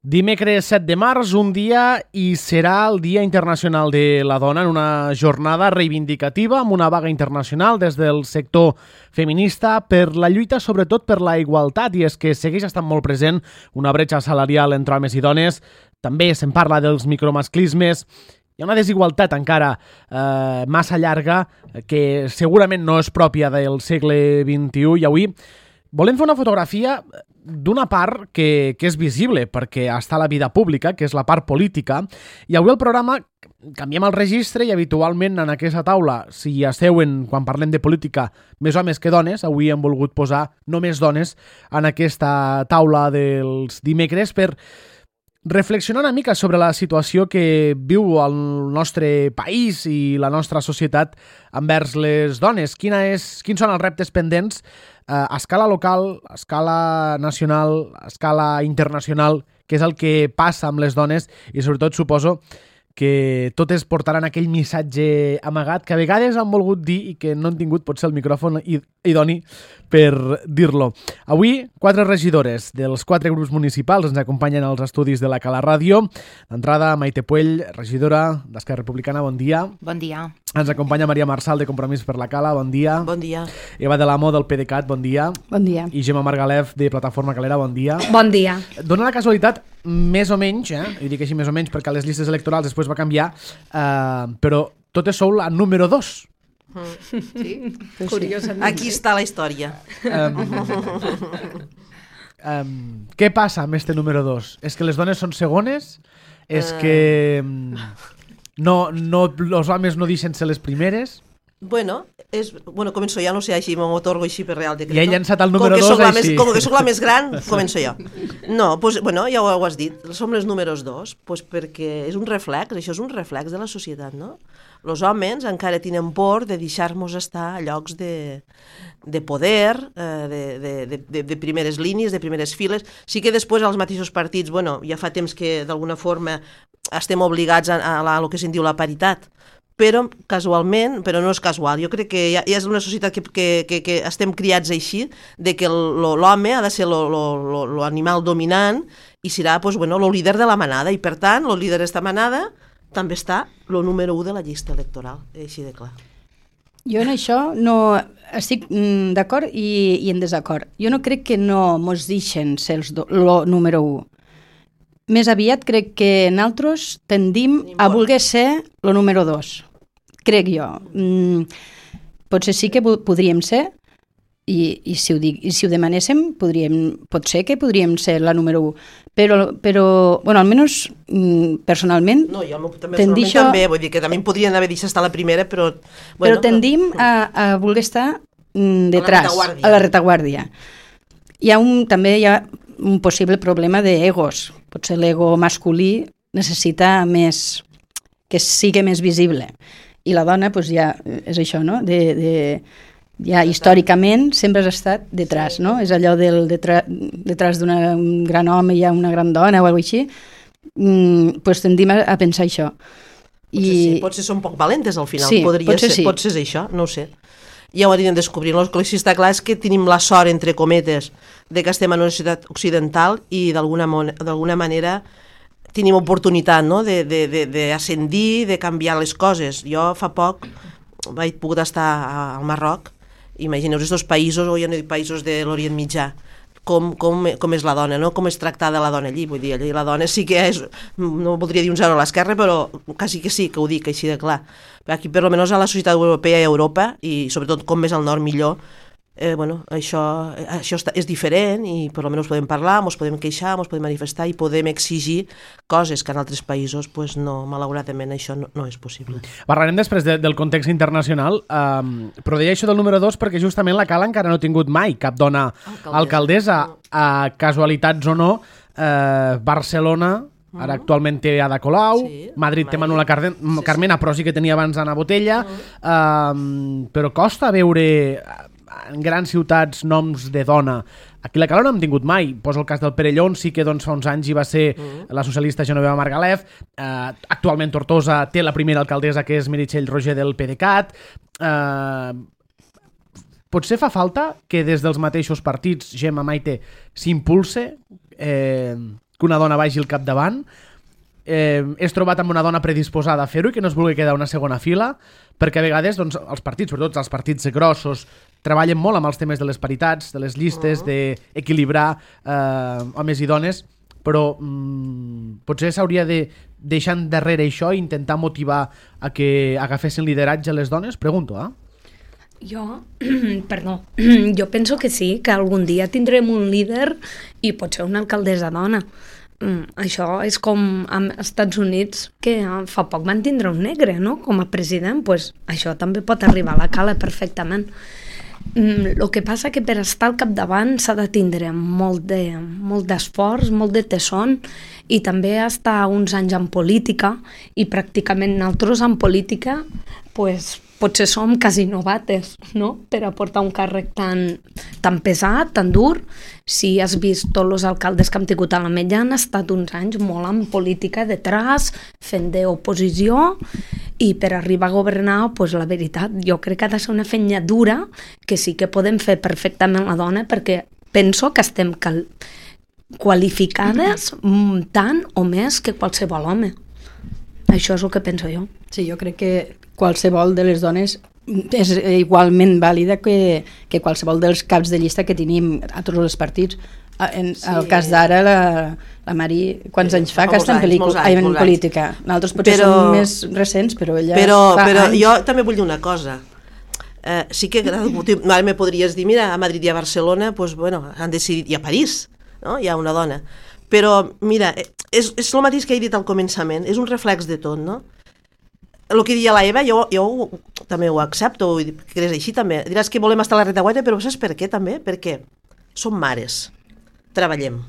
Dimecres 7 de març, un dia i serà el Dia Internacional de la Dona en una jornada reivindicativa amb una vaga internacional des del sector feminista per la lluita sobretot per la igualtat, i és que segueix estant molt present una bretxa salarial entre homes i dones. També se'n parla dels micromasclismes. Hi ha una desigualtat encara massa llarga que segurament no és pròpia del segle XXI, i avui volem fer una fotografia d'una part que és visible perquè està a la vida pública, que és la part política, i avui al programa canviem el registre i habitualment en aquesta taula, si hi asseuen quan parlem de política més homes que dones, avui hem volgut posar només dones en aquesta taula dels dimecres per reflexionar una mica sobre la situació que viu el nostre país i la nostra societat envers les dones. Quins són els reptes pendents a escala local, a escala nacional, a escala internacional, què és el que passa amb les dones, i sobretot suposo que totes portaran aquell missatge amagat que a vegades han volgut dir i que no han tingut potser el micròfon idoni per dir-lo. Avui, 4 regidores dels 4 grups municipals ens acompanyen als estudis de la Cala Ràdio. D'entrada, Maite Puell, regidora d'Esquerra Republicana, bon dia. Bon dia. Ens acompanya Maria Marçal, de Compromís per la Cala, bon dia. Bon dia. Eva de l'Amo, del PDeCAT, bon dia. Bon dia. I Gemma Margalef, de Plataforma Calera, bon dia. Bon dia. Dóna la casualitat, més o menys, i dic així més o menys perquè a les llistes electorals després va canviar, però totes sou la número 2. Sí, curiosament. Aquí està la història. Què passa amb este número 2? És que les dones són segones? És que els homes no deixen ser les primeres? Bueno, començo ja, no sé, així m'otorgo així per Real Decreto. I he llançat el número 2 així. Com que soc la més gran, començo jo. No, pues, ja ho has dit, som les números 2, pues perquè és un reflex, això és un reflex de la societat, no? Els homes encara tenen por de deixar-nos estar a llocs de poder, de primeres línies, de primeres files. Sí que després als mateixos partits, ja fa temps que d'alguna forma estem obligats a lo que se'n diu la paritat, però casualment, però no és casual, jo crec que ja és una societat que estem criats així, de que l'home ha de ser l'animal dominant i serà el líder de la manada, i per tant, el líder d'esta manada també està el número 1 de la llista electoral, així de clar. Jo en això no estic d'acord i en desacord. Jo no crec que no mos deixen ser el número 1. Més aviat crec que nosaltres tendim a voler ser el número 2. Crec jo. Potser sí que podríem ser, i si ho demanéssim, pot ser que podríem ser la número 1. Però almenys personalment... No, jo personalment també, vull dir que també podrien haver deixat estar la primera, però... Però tendim a voler estar detrás, a la retaguardia. També hi ha un possible problema d'egos. Potser l'ego masculí necessita més, que sigui més visible. I la dona, ja és això, no? Ja històricament sempre has estat detrás, no? És allò del detrás d'un gran home hi ha una gran dona o alguna cosa així. Tendim a pensar això. Potser són poc valentes al final, sí, potser és això, no ho sé. Ja ho anirem descobrint. El que sí està clar és que tenim la sort, entre cometes, de que estem en una societat occidental i d'alguna manera tenim oportunitat, no? d'ascendir, de canviar les coses. Jo fa poc vaig poder estar al Marroc. Imagineu aquests països, o ja no dic països de l'Orient Mitjà, com és la dona, no? Com és tractada la dona allí. Vull dir, allí la dona sí que és, no voldria dir un 0 a l'esquerra, però quasi que sí, que ho dic així de clar. Aquí, per almenys a la societat europea i a Europa, i sobretot com més al nord millor, això és diferent, i per almenys podem parlar, ens podem queixar, ens podem manifestar i podem exigir coses que en altres països, no, malauradament, això no és possible. Parlarem després del context internacional, però deia això del número 2 perquè justament la Cala encara no ha tingut mai cap dona alcaldessa. Casualitats o no, Barcelona ara actualment té Ada Colau, Madrid té Manuela Carmena, però sí que tenia abans Ana Botella, però costa veure en grans ciutats noms de dona. Aquí la Cala no hem tingut mai. Poso el cas del Perelló, sí que fa uns anys hi va ser la socialista Genoveva Margalef. Actualment Tortosa té la primera alcaldessa, que és Meritxell Roger del PDeCAT. Potser fa falta que des dels mateixos partits, Gemma, Maite, s'impulse que una dona vagi al capdavant. És trobat amb una dona predisposada a fer-ho i que no es vulgui quedar una segona fila, perquè a vegades doncs, els partits, sobretot els partits grossos, treballen molt amb els temes de les paritats, de les llistes, d'equilibrar homes i dones, però potser s'hauria de deixar endarrere això i intentar motivar a que agafessin lideratge les dones? Pregunto, Jo penso que sí, que algun dia tindrem un líder i potser una alcaldessa dona. Això és com als Estats Units, que fa poc van tindre un negre, no?, com a president. Pues això també pot arribar a la cala perfectament. El que passa que per estar al capdavant s'ha de tindre molt d'esforç, molt de tesón, i també estar uns anys en política, i pràcticament nosaltres en política pues, potser som quasi novates, no?, per aportar un càrrec tan pesat, tan dur. Si has vist tots els alcaldes que hem tingut a l'Ametlla han estat uns anys molt en política detrás, fent d'oposició, i per arribar a governar, pues, la veritat, jo crec que ha de ser una feina dura, que sí que podem fer perfectament la dona, perquè penso que estem qualificades tant o més que qualsevol home. Això és el que penso jo. Sí, jo crec que qualsevol de les dones és igualment vàlida que qualsevol dels caps de llista que tenim a tots els partits. En el cas d'ara, la Mari, quants anys fa que està en política? Nosaltres potser som més recents, però ella fa anys. Jo també vull dir una cosa. Sí que ara me podries dir, mira, a Madrid i a Barcelona pues, bueno, han decidit, i a París, no? Hi ha una dona. Però, mira, és el mateix que he dit al començament, és un reflex de tot, no? El que deia la Eva, jo també ho accepto, que és així també. Diràs que volem estar a la retaguarda, però saps per què també? Perquè som mares, treballem,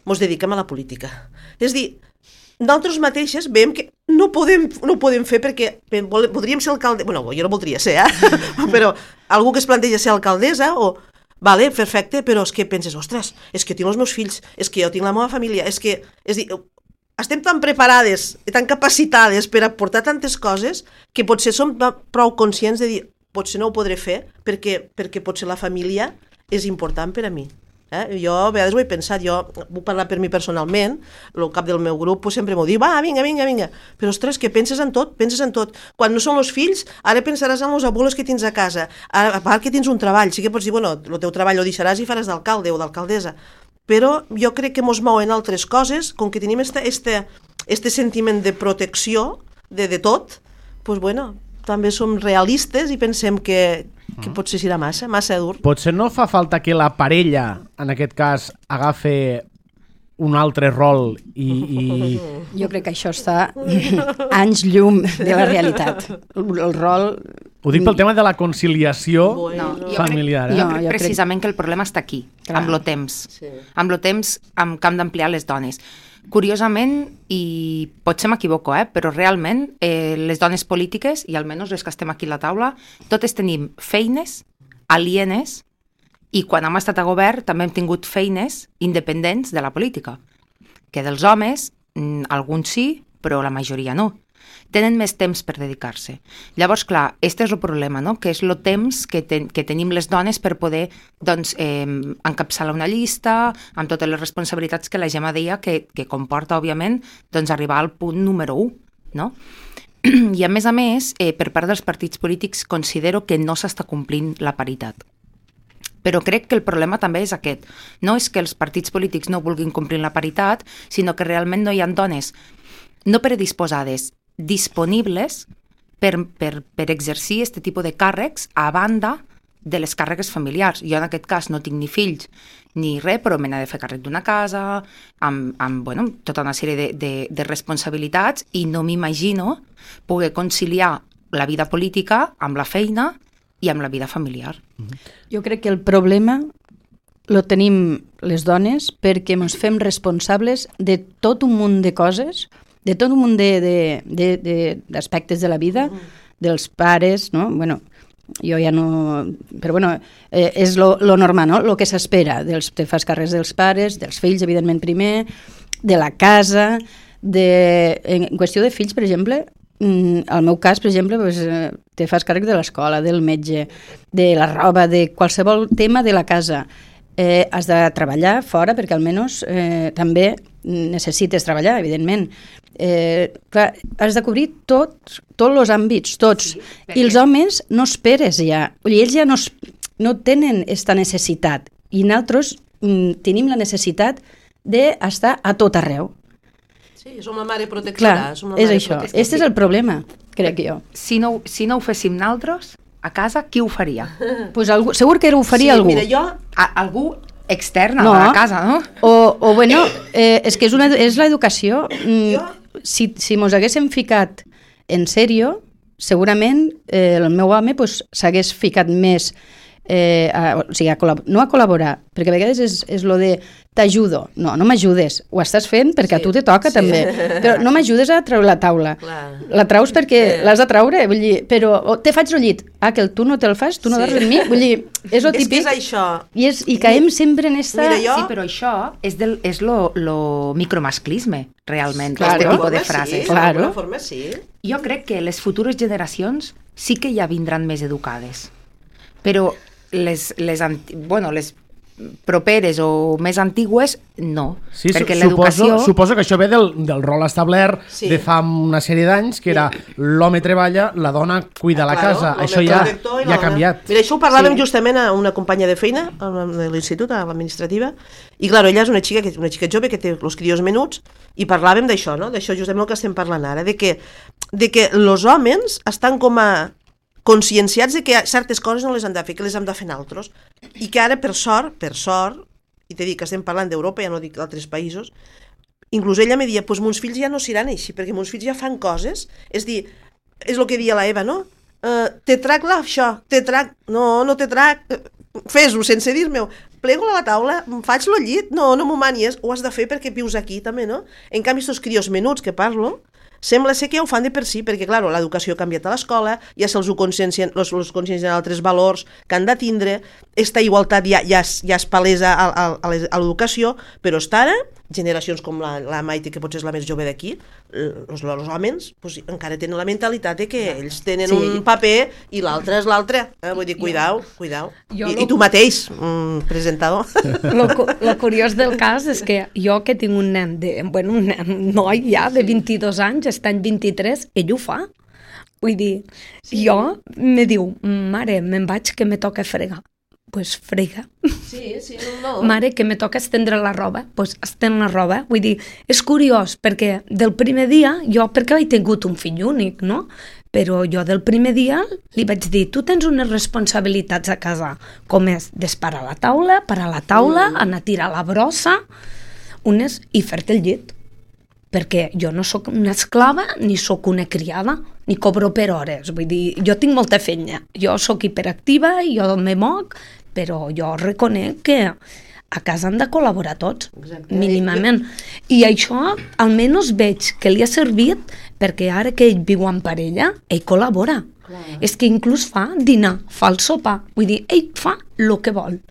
ens dediquem a la política. És a dir, nosaltres mateixes veiem que no podem fer perquè podríem ser alcaldessa, bueno, jo no voldria ser, però algú que es planteja ser alcaldessa o... Vale, perfecte, però és que penses, ostres, és que tinc els meus fills, és que jo tinc la meva família, és dir, estem tan preparades i tan capacitades per aportar tantes coses que potser som prou conscients de dir, potser no ho podré fer perquè potser la família és important per a mi. Jo a vegades ho he pensat, jo vull parlar per mi personalment, el cap del meu grup sempre m'ho diu, va, vinga, però ostres, que penses en tot, quan no són els fills, ara pensaràs en els abuelos que tens a casa, a part que tens un treball, sí que pots dir, bueno, el teu treball ho deixaràs i faràs d'alcalde o d'alcaldessa, però jo crec que mos mouen altres coses, com que tenim este sentiment de protecció de tot, doncs bueno, també som realistes i pensem que potser serà massa dur. Potser no fa falta que la parella, en aquest cas, agafi un altre rol i... Jo crec que això està anys llum de la realitat. El rol... Ho dic pel tema de la conciliació familiar. Jo crec precisament que el problema està aquí, amb el temps. Amb el temps amb què hem d'ampliar les dones. Curiosament, i potser m'equivoco, però realment les dones polítiques, i almenys les que estem aquí a la taula, totes tenim feines alienes i quan hem estat a govern també hem tingut feines independents de la política. Que dels homes, alguns sí, però la majoria no. Tenen més temps per dedicar-se. Llavors, clar, este és el problema, no?, que és el temps que tenim les dones per poder encapçalar una llista amb totes les responsabilitats que la Gemma deia que comporta, òbviament, arribar al punt número 1, no? I a més, per part dels partits polítics considero que no s'està complint la paritat. Però crec que el problema també és aquest. No és que els partits polítics no vulguin complir la paritat, sinó que realment no hi ha dones no predisposades, disponibles per exercir aquest tipus de càrrecs a banda de les càrregues familiars. Jo en aquest cas no tinc ni fills ni res, però me n'he de fer càrrec d'una casa, amb tota una sèrie de responsabilitats i no m'imagino poder conciliar la vida política amb la feina i amb la vida familiar. Jo crec que el problema lo tenim les dones perquè ens fem responsables de tot un munt de coses, de tot un munt d'aspectes de la vida, dels pares, no? Bueno, jo ja no... Però bueno, és lo normal, no? Lo que s'espera. Te fas càrrecs dels pares, dels fills, evidentment primer, de la casa, en qüestió de fills, per exemple, al meu cas, per exemple, te fas càrrec de l'escola, del metge, de la roba, de qualsevol tema de la casa. has de treballar fora perquè almenys també necessites treballar, evidentment. Clar, has de cobrir tots els àmbits, tots. Sí, perquè... I els homes no esperes ja. Ells ja no tenen aquesta necessitat. I nosaltres tenim la necessitat d'estar a tot arreu. Sí, som la mare protectora. Clar, és això. Aquest és el problema, crec jo. Si no ho féssim nosaltres, a casa, qui ho faria? Pues segur que ho faria algú. Mira, jo... Algú extern a la casa, no? O bueno, és que és l'educació. Si mos haguéssim ficat en sèrio, segurament el meu home s'hagués ficat més no a col·laborar, perquè a vegades és lo de t'ajudo, no m'ajudes, ho estàs fent perquè a tu te toca també, però no m'ajudes a treure la taula, la traus perquè l'has de treure, vull dir, però te faig el llit, que tu no te'l fas, tu no dorms amb mi, vull dir, és lo típic, és això. I caiem sempre en esta... Sí, però això és lo micromasclisme, realment, aquest tipus de frases. D'alguna forma sí. Jo crec que les futures generacions sí que ja vindran més educades, però les properes o més antigues, no. Sí, perquè l'educació... Suposo que això ve del rol establert de fa una sèrie d'anys, que era l'home treballa, la dona cuida la casa. Això ja ha canviat. Mira, això ho parlàvem justament a una companya de feina, de l'institut, a l'administrativa, i clar, ella és una xica jove que té els crios menuts, i parlàvem d'això, no? D'això justament el que estem parlant ara, de que els homes estan com a conscienciats de que certes coses no les han de fer, que les hem de fer nosaltres, i que ara, per sort, i t'he dit que estem parlant d'Europa, ja no dic d'altres països, inclús ella me deia, doncs mons fills ja no seran així, perquè mons fills ja fan coses, és dir, és el que deia la Eva, no? Te trac això, no te trac, fes-ho sense dir-me-ho, plego a la taula, faig el llit, no m'ho manies, ho has de fer perquè vius aquí també, no? En canvi, estos crios menuts que parlo, sembla ser que ja ho fan de per si, perquè, clar, l'educació ha canviat a l'escola, ja se'ls consciencien altres valors que han de tindre, aquesta igualtat ja és palesa a l'educació, però està ara, generacions com la Maite, que potser és la més jove d'aquí, els homes encara tenen la mentalitat de que ells tenen un paper i l'altre és l'altre. Vull dir, cuidao. I tu mateix, presentador. Lo curiós del cas és que jo que tinc un noi ja de 22 anys, està en 23, ell ho fa. Vull dir, jo me diu, mare, me'n vaig que me toca fregar. Pues frega. Sí, no. Mare, que me toca estendre la roba, pues estén la roba. Vull dir, és curiós, perquè del primer dia, perquè he tingut un fill únic, no? Però jo del primer dia li vaig dir, tu tens unes responsabilitats a casa, com és desparar la taula, parar la taula, anar a tirar la brossa, i fer-te el llit. Perquè jo no sóc una esclava ni sóc una criada, ni cobro per hores. Vull dir, jo tinc molta feina. Jo sóc hiperactiva, jo me moc, però jo reconec que a casa han de col·laborar tots, mínimament. I això almenys veig que li ha servit perquè ara que ell viu en parella, ell col·labora. És que inclús fa dinar, fa el sopar. Vull dir, ell fa el que vol.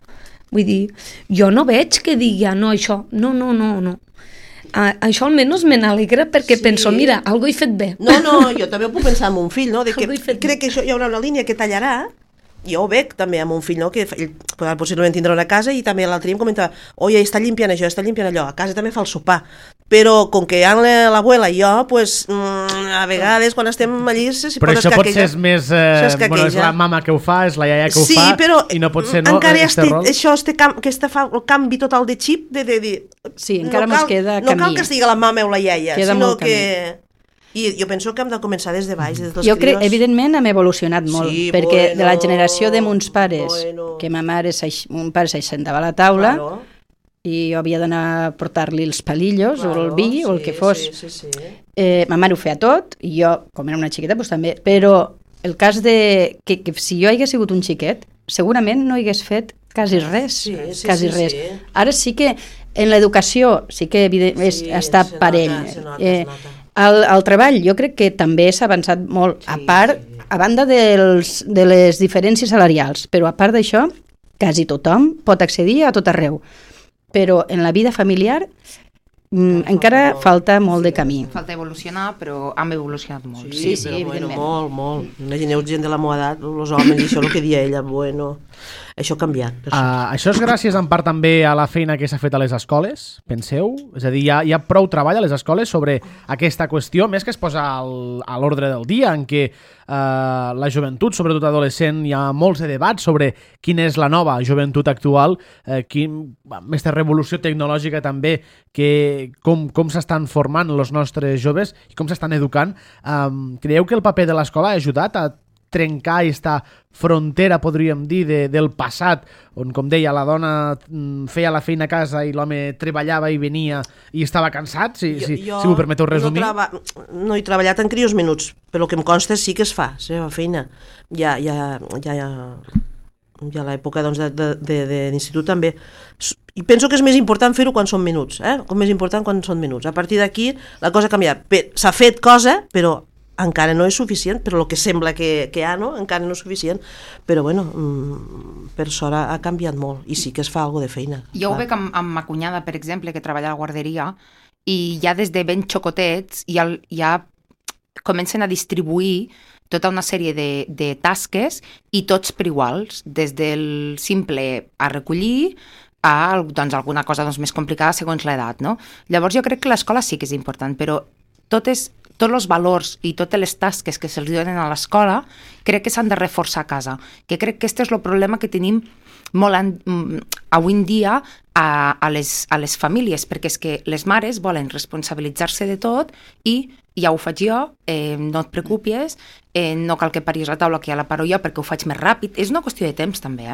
Vull dir, jo no veig que digui, no, això, no. Això almenys me n'alegra perquè penso, mira, algo he fet bé. No, jo també ho puc pensar en un fill, no? Crec que això hi haurà una línia que tallarà, jo ho veig també amb un fill, no? Que ell possiblement tindrà una casa i també l'altre dia em comentava, oi, està limpiant això, està limpiant allò, a casa també fa el sopar, però com que hi ha l'abuela i jo, pues, a vegades quan estem allí se pot escaquejar. Però això potser és més... és la mama que ho fa, és la iaia que ho fa, però i no pot ser no, encara això fa el canvi total de xip de dir... Sí, encara mos queda camí. No cal que estigui la mama o la iaia, sinó que... I jo penso que hem de començar des de baix, des dels jo crec, evidentment, hem evolucionat molt, perquè de la generació de mons pares, que mon pare s'aixentava a la taula, i jo havia d'anar a portar-li els palillos, o el vi, o el que fos. Ma mare ho feia tot, i jo, com era una xiqueta, doncs també, però el cas de que si jo hagués sigut un xiquet, segurament no hagués fet quasi res, quasi res. Ara sí que en l'educació sí que està parell. El treball jo crec que també s'ha avançat molt, a banda de les diferències salarials, però a part d'això, quasi tothom pot accedir a tot arreu. Però en la vida familiar encara falta molt de camí. Falta evolucionar, però hem evolucionat molt. Sí, evidentment. Molt. Imagineu gent de la meva edat, els homes, i això el que dia ella, bueno... Això ha canviat. Això és gràcies en part també a la feina que s'ha fet a les escoles, penseu? És a dir, hi ha prou treball a les escoles sobre aquesta qüestió, més que es posa a l'ordre del dia, en què la joventut, sobretot adolescent, hi ha molts de debats sobre quina és la nova joventut actual, aquesta revolució tecnològica també, com s'estan formant els nostres joves i com s'estan educant. Creieu que el paper de l'escola ha ajudat a trencar aquesta frontera, podríem dir, del passat, on, com deia, la dona feia la feina a casa i l'home treballava i venia i estava cansat, si m'ho permeteu resumir? No he treballat en crios minuts, però el que em consta sí que es fa, la seva feina. Ja a l'època d'institut també. I penso que és més important fer-ho quan són minuts, com més important quan són minuts. A partir d'aquí la cosa ha canviat. S'ha fet cosa, però encara no és suficient, però el que sembla que hi ha, no? Encara no és suficient, però bueno, per sort ha canviat molt i sí que es fa alguna de feina. Jo ho veig amb ma cunyada, per exemple, que treballa a la guarderia, i ja des de ben xocotets ja comencen a distribuir tota una sèrie de tasques i tots per iguals, des del simple a recollir a alguna cosa més complicada segons l'edat, no? Llavors jo crec que l'escola sí que és important, però tots els valors i totes les tasques que se'ls donen a l'escola crec que s'han de reforçar a casa, que crec que aquest és el problema que tenim molt avui en dia a les famílies, perquè és que les mares volen responsabilitzar-se de tot i ja ho faig jo, no et preocupis, no cal que paris la taula que ja la paro jo perquè ho faig més ràpid, és una qüestió de temps també,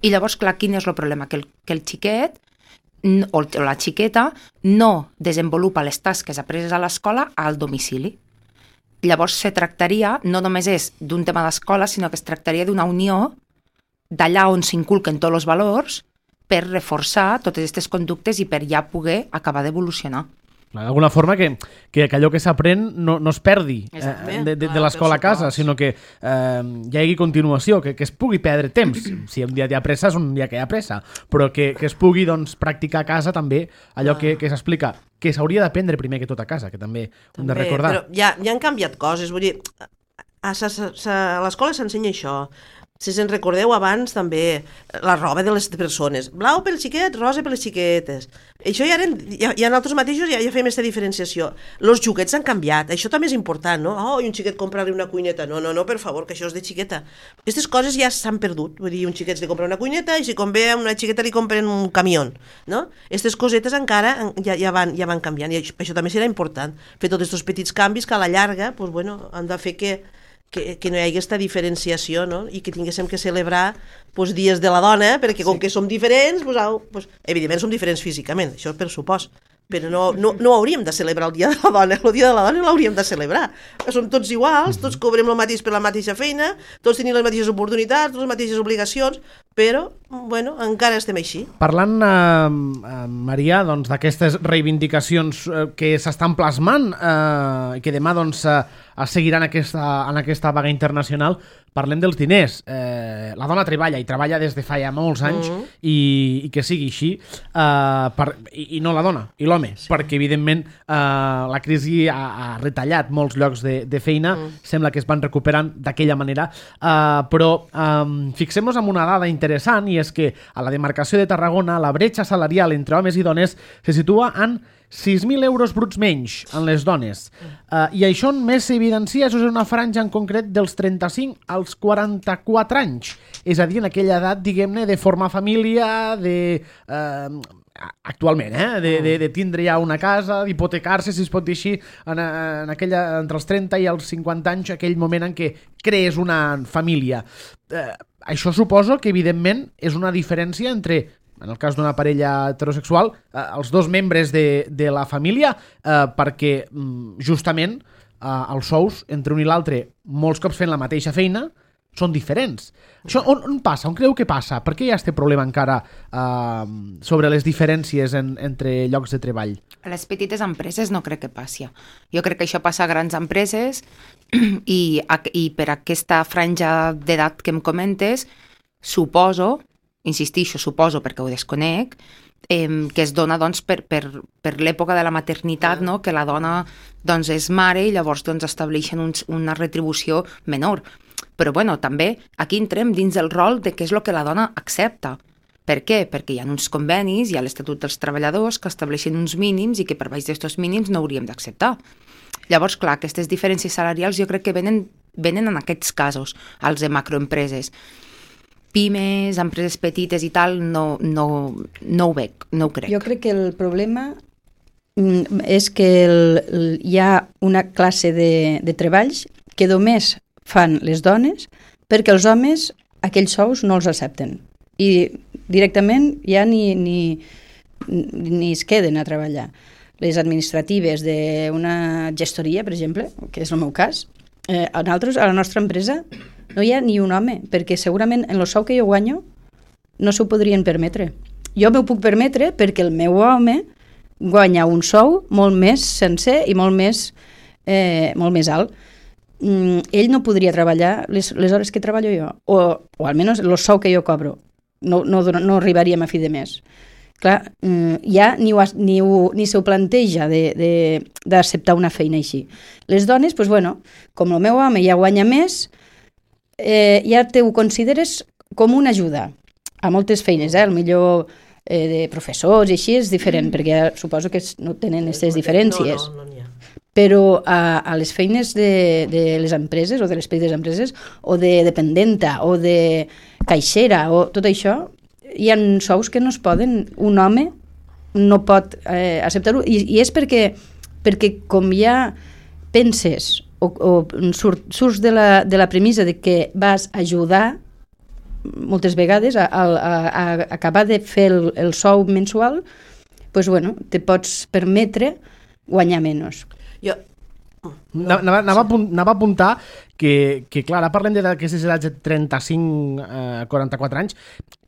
I llavors, clar, quin és el problema? Que el xiquet o la xiqueta no desenvolupa les tasques apreses a l'escola al domicili. Llavors se tractaria, no només és d'un tema d'escola, sinó que es tractaria d'una unió d'allà on s'inculquen tots els valors per reforçar totes aquestes conductes i per ja poder acabar d'evolucionar. D'alguna forma que allò que s'aprèn no es perdi de l'escola a casa, sinó que hi hagi continuació, que es pugui perdre temps. Si un dia hi ha pressa, és un dia que hi ha pressa, però que es pugui practicar a casa també allò que s'explica, que s'hauria d'aprendre primer que tot a casa, que també hem de recordar. Però ja han canviat coses, vull dir, a l'escola s'ensenya això. Si se'n recordeu abans també la roba de les persones, blau pel xiquet, rosa per les xiquetes. Això ja nosaltres mateixos ja fem aquesta diferenciació. Els joguets han canviat, això també és important, no? Oh, i un xiquet comprar-li una cuineta. No, per favor, que això és de xiqueta. Aquestes coses ja s'han perdut. Vull dir, un xiquet li compra una cuineta i si convé a una xiqueta li compren un camió, no? Aquestes cosetes encara ja van canviant i això també serà important. Fer tots aquests petits canvis que a la llarga han de fer que no hi hagi aquesta diferenciació, no? I que tinguéssim que celebrar dies de la dona, perquè com que som diferents, evidentment som diferents físicament, això per supost, però no hauríem de celebrar el dia de la dona, el dia de la dona l'hauríem de celebrar. Som tots iguals, tots cobrem el mateix per la mateixa feina, tots tenim les mateixes oportunitats, les mateixes obligacions, però, encara estem així. Parlant, Maria, d'aquestes reivindicacions que s'estan plasmant i que demà es seguiran en aquesta vaga internacional, parlem dels diners. La dona treballa i treballa des de fa ja molts anys i que sigui així, i no la dona, i l'home, perquè evidentment la crisi ha retallat molts llocs de feina, sembla que es van recuperant d'aquella manera, però fixem-nos en una dada interessant, i és que a la demarcació de Tarragona la bretxa salarial entre homes i dones se situa en 6.000 euros bruts menys en les dones. I això més s'evidencia, això és una franja en concret dels 35 als 44 anys. És a dir, en aquella edat, diguem-ne, de formar família, actualment, de tindre ja una casa, d'hipotecar-se, si es pot dir així, entre els 30 i els 50 anys, aquell moment en què crees una família. Això suposo que, evidentment, és una diferència entre, en el cas d'una parella heterosexual, els dos membres de la família, perquè justament els sous entre un i l'altre, molts cops fent la mateixa feina, són diferents. Això on passa? On creu que passa? Per què hi ha aquest problema encara sobre les diferències entre llocs de treball? A les petites empreses no crec que passi. Jo crec que això passa a grans empreses i per aquesta franja d'edat que em comentes, suposo perquè ho desconec, que es dona per l'època de la maternitat, no? Que la dona és mare i llavors estableixen una retribució menor. Però bueno, també aquí entrem dins el rol de què és el que la dona accepta. Per què? Perquè hi ha uns convenis, hi ha l'Estatut dels Treballadors que estableixen uns mínims i que per baix d'aquests mínims no hauríem d'acceptar. Llavors, clar, aquestes diferències salarials jo crec que venen en aquests casos, als de macroempreses. Pimes, empreses petites i tal, no ho veig, no ho crec. Jo crec que el problema és que hi ha una classe de treballs que només fan les dones perquè els homes aquells sous no els accepten i directament ja ni es queden a treballar. Les administratives d'una gestoria, per exemple, que és el meu cas, a la nostra empresa no hi ha ni un home, perquè segurament en el sou que jo guanyo no s'ho podrien permetre. Jo m'ho puc permetre perquè el meu home guanya un sou molt més sencer i molt més alt. Ell no podria treballar les hores que treballo jo, o almenys el sou que jo cobro. No arribaríem a fi de mes. Clar, ja ni s'ho planteja d'acceptar una feina així. Les dones, doncs, bueno, com el meu home ja guanya més, ja ho consideres com una ajuda a moltes feines, millor de professors i així és diferent, perquè suposo que no tenen aquestes diferències. No n'hi ha. Però a les feines de les empreses o de les petites empreses o de dependenta o de caixera o tot això, hi ha sous que no es poden, un home no pot acceptar-ho i és perquè com ja penses o surts de la premissa de que vas ajudar moltes vegades a acabar de fer el sou mensual, doncs bueno, te pots permetre guanyar menys. Jo... Anava a apuntar que clar, ara parlem d'aquestes edats de 35 a 44 anys,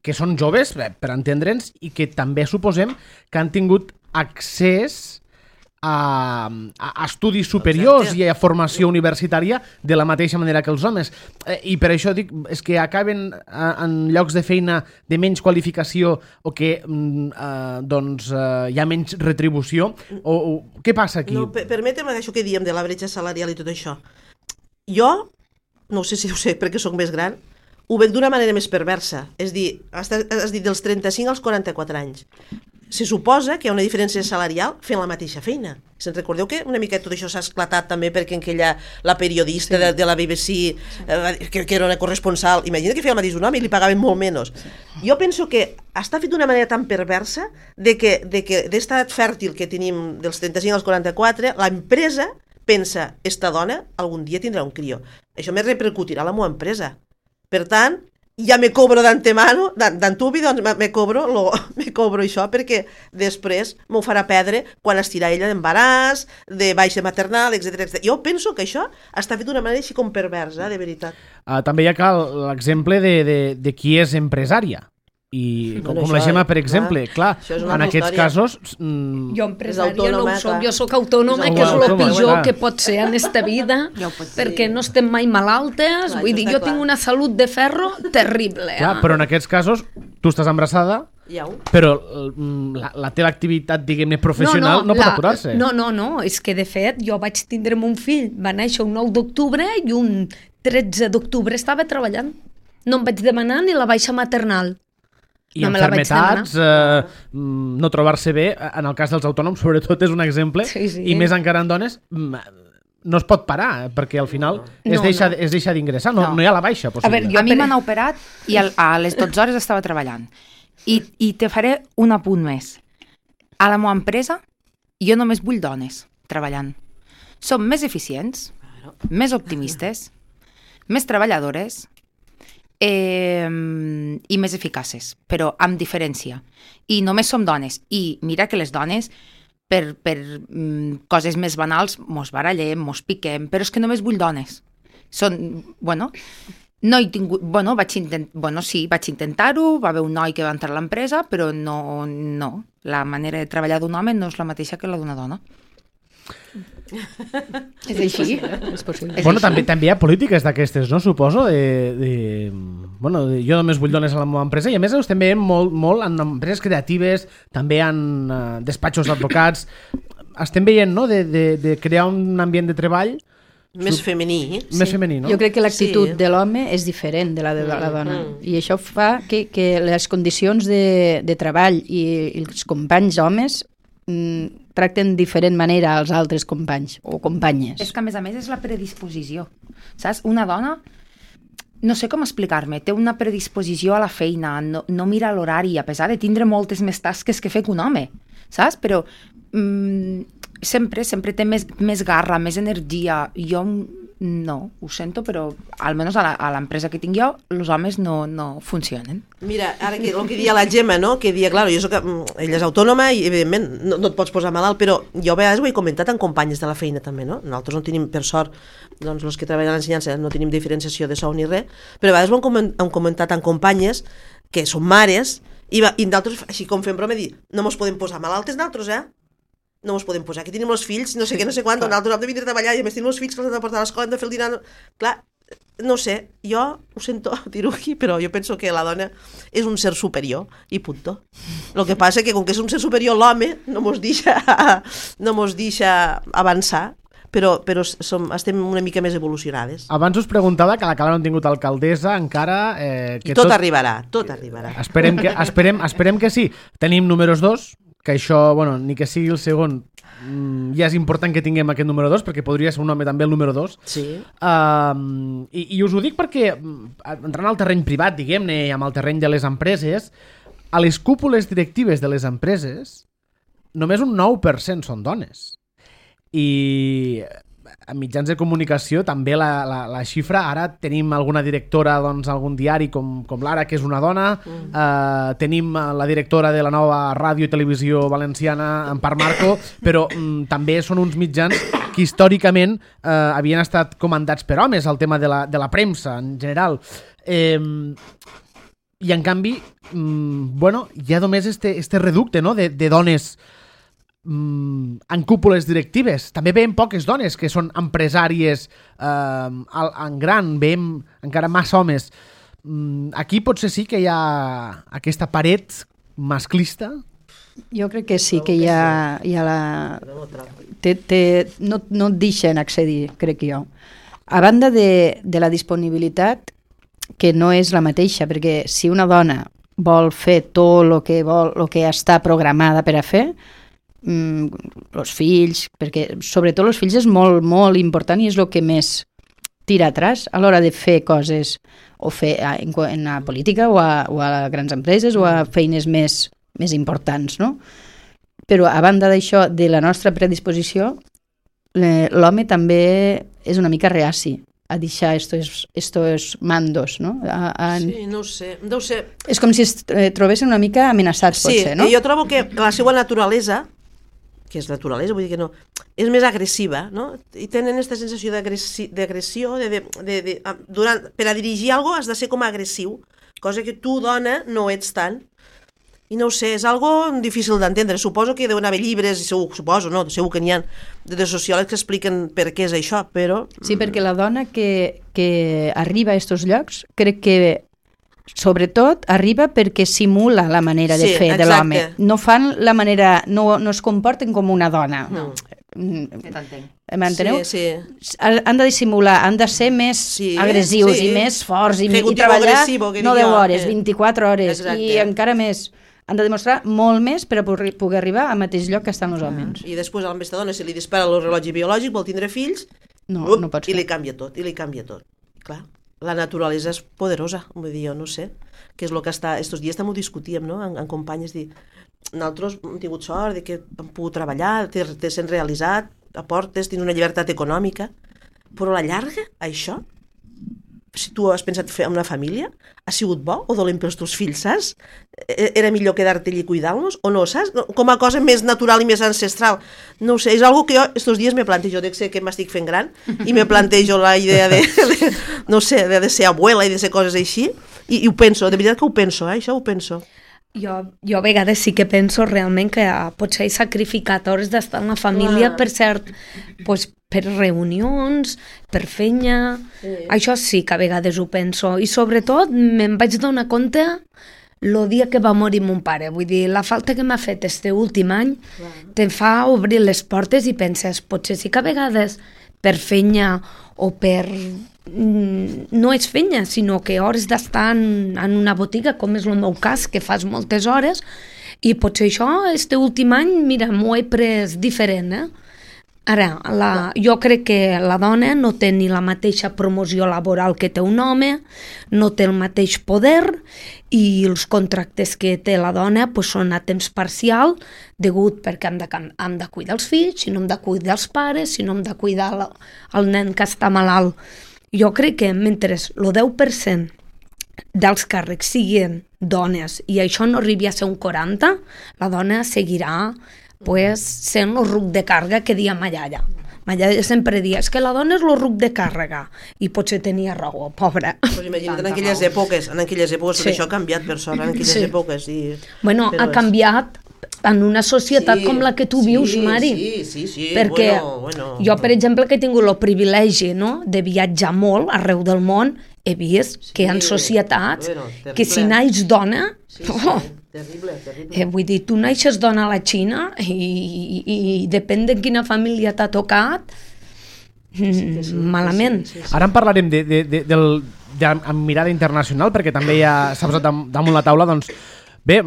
que són joves, per entendre'ns, i que també suposem que han tingut accés a estudis superiors i a formació universitària de la mateixa manera que els homes. I per això dic, és que acaben en llocs de feina de menys qualificació o que hi ha menys retribució. Què passa aquí? No, permetem això que diem de la bretxa salarial i tot això. Jo, no sé si ho sé perquè sóc més gran, ho veig d'una manera més perversa. És dir, has dit dels 35 als 44 anys. Se suposa que hi ha una diferència salarial fent la mateixa feina. Se'n recordeu que una mica tot això s'ha esclatat també perquè la periodista de la BBC, que era una corresponsal, imagina que feia el mateix un home i li pagaven molt menys. Jo penso que està fet d'una manera tan perversa d'esta edat fèrtil que tenim dels 35 als 44, l'empresa pensa, esta dona algun dia tindrà un crió. Això me repercutirà a la meva empresa. Per tant, ja me cobro d'antemano, d'antubi, doncs me cobro això perquè després m'ho farà perdre quan estirà ella d'embaràs, de baixa maternal, etc. Jo penso que això està fet d'una manera així com perversa, de veritat. També hi ha l'exemple de qui és empresària. I com la Gemma, per exemple, clar, en aquests casos... Jo empresària no ho soc, jo soc autònoma, que és el pitjor que pot ser en esta vida, perquè no estem mai malaltes, vull dir, jo tinc una salut de ferro terrible. Clar, però en aquests casos, tu estàs embarassada, però la teva activitat, diguem-ne, professional no pot aturar-se. No, és que de fet jo vaig tindre un fill, va néixer un 9 d'octubre i un 13 d'octubre estava treballant. No em vaig demanar ni la baixa maternal. I enfermetats, no trobar-se bé, en el cas dels autònoms sobretot és un exemple, i més encara en dones, no es pot parar, perquè al final es deixa d'ingressar, no hi ha la baixa possible. A mi m'han operat i a les 12 hores estava treballant. I te faré un apunt més. A la meva empresa jo només vull dones treballant. Som més eficients, més optimistes, més treballadores, i més eficaces, però amb diferència. I només som dones. I mira que les dones, per coses més banals, mos barallem, mos piquem, però és que només vull dones. No he tingut... vaig intentar-ho, va haver un noi que va entrar a l'empresa, però no. La manera de treballar d'un home no és la mateixa que la d'una dona. És així, és possible. També hi ha polítiques d'aquestes, no? Suposo, jo només vull dones a la meva empresa i a més ho estem veient molt en empreses creatives, també en despatxos d'advocats. Estem veient, no?, de crear un ambient de treball Més femení. Més femení, no? Jo crec que l'actitud de l'home és diferent de la de la dona. I això fa que les condicions de treball i els companys homes tracten diferent manera als altres companys o companyes. És que, a més, és la predisposició. Saps? Una dona, no sé com explicar-me, té una predisposició a la feina, no mira l'horari, a pesar de tindre moltes més tasques que fer que un home, saps? Però sempre té més garra, més energia. Jo no, ho sento, però almenys a l'empresa que tinc jo, els homes no funcionen. Mira, ara el que dia la Gemma, no? Que dia, clar, ella és autònoma i, evidentment, no et pots posar malalt, però jo a vegades ho he comentat amb companyes de la feina també, no? Nosaltres no tenim, per sort, doncs els que treballen a l'ensenyança no tenim diferenciació de sou ni res, però a vegades ho hem comentat amb companyes que són mares i d'altres, així com fem broma, dir, no mos podem posar malaltes nosaltres, no ens podem posar, que tenim els fills, no sé què, no sé quan, nosaltres hem de vindre a treballar i a més tenim els fills que els hem de portar a l'escola, hem de fer el dinar... Clar, no sé, jo ho sento dir-ho aquí, però jo penso que la dona és un ser superior i punto. El que passa que com que és un ser superior l'home no mos deixa avançar, però estem una mica més evolucionades. Abans us preguntava que la Cala no han tingut alcaldessa encara... I tot arribarà. Esperem que sí. Tenim números 2, que això, bueno, ni que sigui el segon, ja és important que tinguem aquest número 2, perquè podria ser un home també el número 2. Sí. I us ho dic perquè, entrant al terreny privat, diguem-ne, amb el terreny de les empreses, a les cúpules directives de les empreses, només un 9% són dones. I en mitjans de comunicació també la xifra, ara tenim alguna directora doncs, algun diari com l'Ara, que és una dona, tenim la directora de la nova ràdio i televisió valenciana, Empar Marco, però també són uns mitjans que històricament havien estat comandats per homes, el tema de la premsa en general. I en canvi, hi ha només este reducte, no?, de dones en cúpules directives. També veiem poques dones que són empresàries en gran, veiem encara massa homes. Aquí potser sí que hi ha aquesta paret masclista. Jo crec que sí, que hi ha la... No et deixen accedir, crec jo. A banda de la disponibilitat, que no és la mateixa, perquè si una dona vol fer tot el que està programada per a fer, els fills, perquè sobretot els fills és molt, molt important i és el que més tira atrás a l'hora de fer coses o fer en la política o a grans empreses o a feines més importants, no? Però a banda d'això, de la nostra predisposició, l'home també és una mica reaci a deixar estos mandos, no? Sí, no ho sé. És com si es trobessin una mica amenaçats, potser, no? Sí, jo trobo que la seva naturalesa, que és naturalesa, vull dir que no, és més agressiva, no? I tenen aquesta sensació d'agressió, per a dirigir alguna cosa has de ser com agressiu, cosa que tu, dona, no ets tant. I no ho sé, és algo difícil d'entendre. Suposo que deuen haver llibres, segur que n'hi ha de sociòlegs que expliquen per què és això, però... Sí, perquè la dona que arriba a aquests llocs, crec que sobretot arriba perquè simula la manera de fer de l'home. No fan la manera, no es comporten com una dona. No. M'enteneu? Sí. Han de dissimular, han de ser més agressius i més forts i treballar no 10 hores, 24 hores. Exacte. I encara més. Han de demostrar molt més per a poder arribar al mateix lloc que estan els homes. I després a aquesta dona, si li dispara el rellotge biològic, vol tindre fills, no pot ser. I li canvia tot. Clar, la naturalesa és poderosa, vull dir, jo no sé, que és el que està... Estos dies també ho discutíem, no?, amb companyes, dir, nosaltres hem tingut sort de que hem pogut treballar, t'he sent realitzat, aportes, tens una llibertat econòmica, però a la llarga, això, si tu has pensat fer una família, ha sigut bo o dolent pels teus fills, saps? Era millor quedar-te allí i cuidar-los o no, saps? Com a cosa més natural i més ancestral. No ho sé, és algo que jo estos dies me plantejo, de ser que m'estic fent gran i me plantejo la idea de ser abuela i de ser coses així i ho penso, de veritat que ho penso, això ho penso. Jo a vegades sí que penso realment que potser he sacrificat hores d'estar en la família per cert, per reunions, per feina... Sí. Això sí que a vegades ho penso. I sobretot me'n vaig donar compte el dia que va morir mon pare. Vull dir, la falta que m'ha fet este últim any te fa obrir les portes i penses, potser sí que a vegades per feina o per... No és feina, sinó que hores d'estar en una botiga, com és el meu cas, que fas moltes hores, i potser això, este últim any, mira, m'ho he pres diferent, Ara, jo crec que la dona no té ni la mateixa promoció laboral que té un home, no té el mateix poder i els contractes que té la dona pues, són a temps parcial degut perquè hem de cuidar els fills, si no hem de cuidar els pares, si no hem de cuidar el nen que està malalt. Jo crec que mentre el 10% dels càrrecs siguin dones i això no arribi a ser un 40%, la dona seguirà pues, sent el ruc de càrrega que dia ma iaia. Ma iaia sempre dia, és que la dona és el ruc de càrrega. I potser tenia raó, pobra. Pues imagina't en aquelles èpoques, sí. Això ha canviat per sort, en aquelles èpoques. Bueno, ha canviat en una societat com la que tu vius, Mari. Sí. Perquè jo, per exemple, que he tingut el privilegi de viatjar molt arreu del món, he vist que hi ha societats que si naix dona... Terrible. Vull dir, tu naixes dona a la Xina i depèn de quina família t'ha tocat, malament. Ara en parlarem amb mirada internacional, perquè també ja s'ha posat damunt la taula, doncs, bé,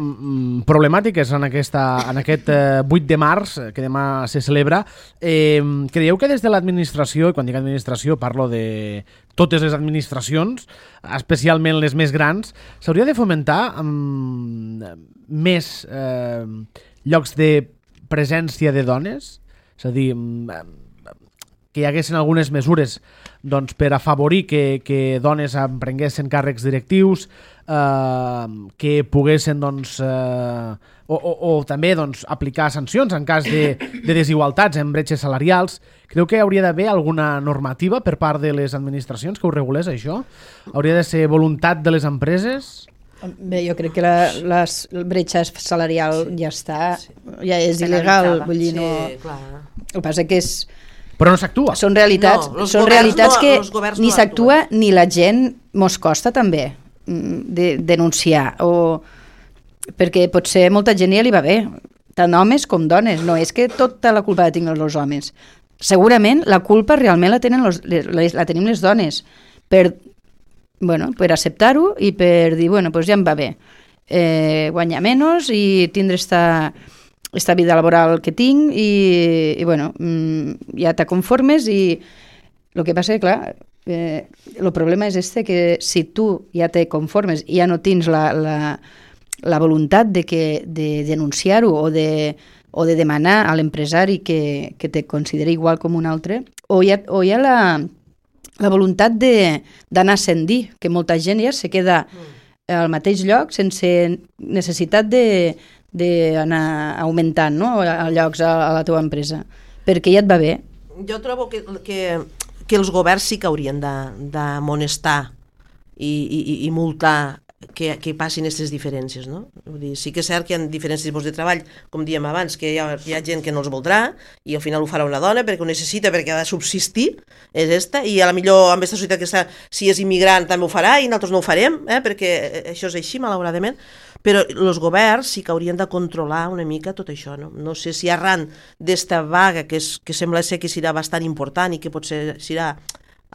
problemàtiques en aquest 8 de març, que demà se celebra. Creieu que des de l'administració, i quan dic administració parlo de totes les administracions, especialment les més grans, s'hauria de fomentar més llocs de presència de dones? És a dir, que hi haguessin algunes mesures doncs, per afavorir que dones emprenguessin càrrecs directius, que poguessin doncs, o també doncs, aplicar sancions en cas de desigualtats en bretxes salarials. Creu que hauria d'haver alguna normativa per part de les administracions que ho regulés, això? Hauria de ser voluntat de les empreses? Bé, jo crec que la bretxa salarial ja està, ja és il·legal, vull dir, no... El que passa que és... Però no s'actua. Són realitats que ni s'actua ni la gent mos costa també de denunciar, perquè potser molta gent ja li va bé, tant homes com dones, no és que tota la culpa la tinguin els homes. Segurament la culpa realment la tenim les dones per acceptar-ho i per dir, ja em va bé, guanyar menys i tindre esta vida laboral que tinc i ja te conformes i el que passa que, clar, el problema és que si tu ja te conformes i ja no tens la voluntat de denunciar-ho o de demanar a l'empresari que te consideri igual com un altre, o hi ha la voluntat d'anar ascendir, que molta gent ja se queda al mateix lloc sense necessitat d'anar augmentant, no? A llocs a la teva empresa, perquè ja et va bé. Jo trobo que els governs sí que haurien d'amonestar i multar que passin aquestes diferències, no? Vull dir, sí que és cert que hi ha diferents tipus de treball, com dèiem abans, que hi ha gent que no els voldrà i al final ho farà una dona perquè ho necessita, perquè ha de subsistir, és esta, i a la millor amb aquesta societat que està, si és immigrant també ho farà i nosaltres no ho farem, perquè això és així, malauradament, però els governs sí que haurien de controlar una mica tot això, no? No sé si arran d'esta vaga, que sembla ser que serà bastant important i que potser serà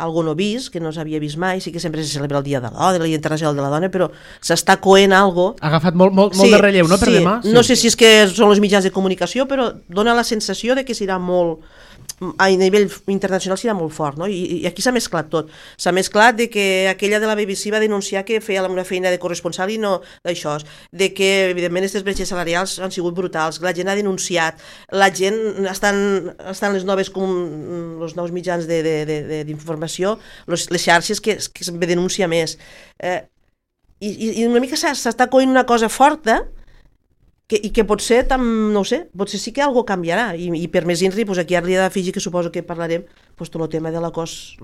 algo no vist, que no s'havia vist mai, sí que sempre se celebra el Dia de la Dona, el Dia Internacional de la Dona, però s'està coent algo... Ha agafat molt de relleu, no, per demà? Sí. No sé si és que són els mitjans de comunicació, però dona la sensació de que serà molt... A nivell internacional serà molt fort, no? I aquí s'ha mesclat tot. S'ha mesclat de que aquella de la BBC va denunciar que feia una feina de corresponsal i no d'això, de que, evidentment, aquestes bretxes salarials han sigut brutals, la gent ha denunciat, la gent estan els nous mitjans d'informació, les xarxes que sempre denuncia més. I una mica s'està coint una cosa forta i que potser, no ho sé, potser sí que algo canviarà i per més INRI, aquí ara li he d'afegir que suposo que parlarem tot el tema de l'acòs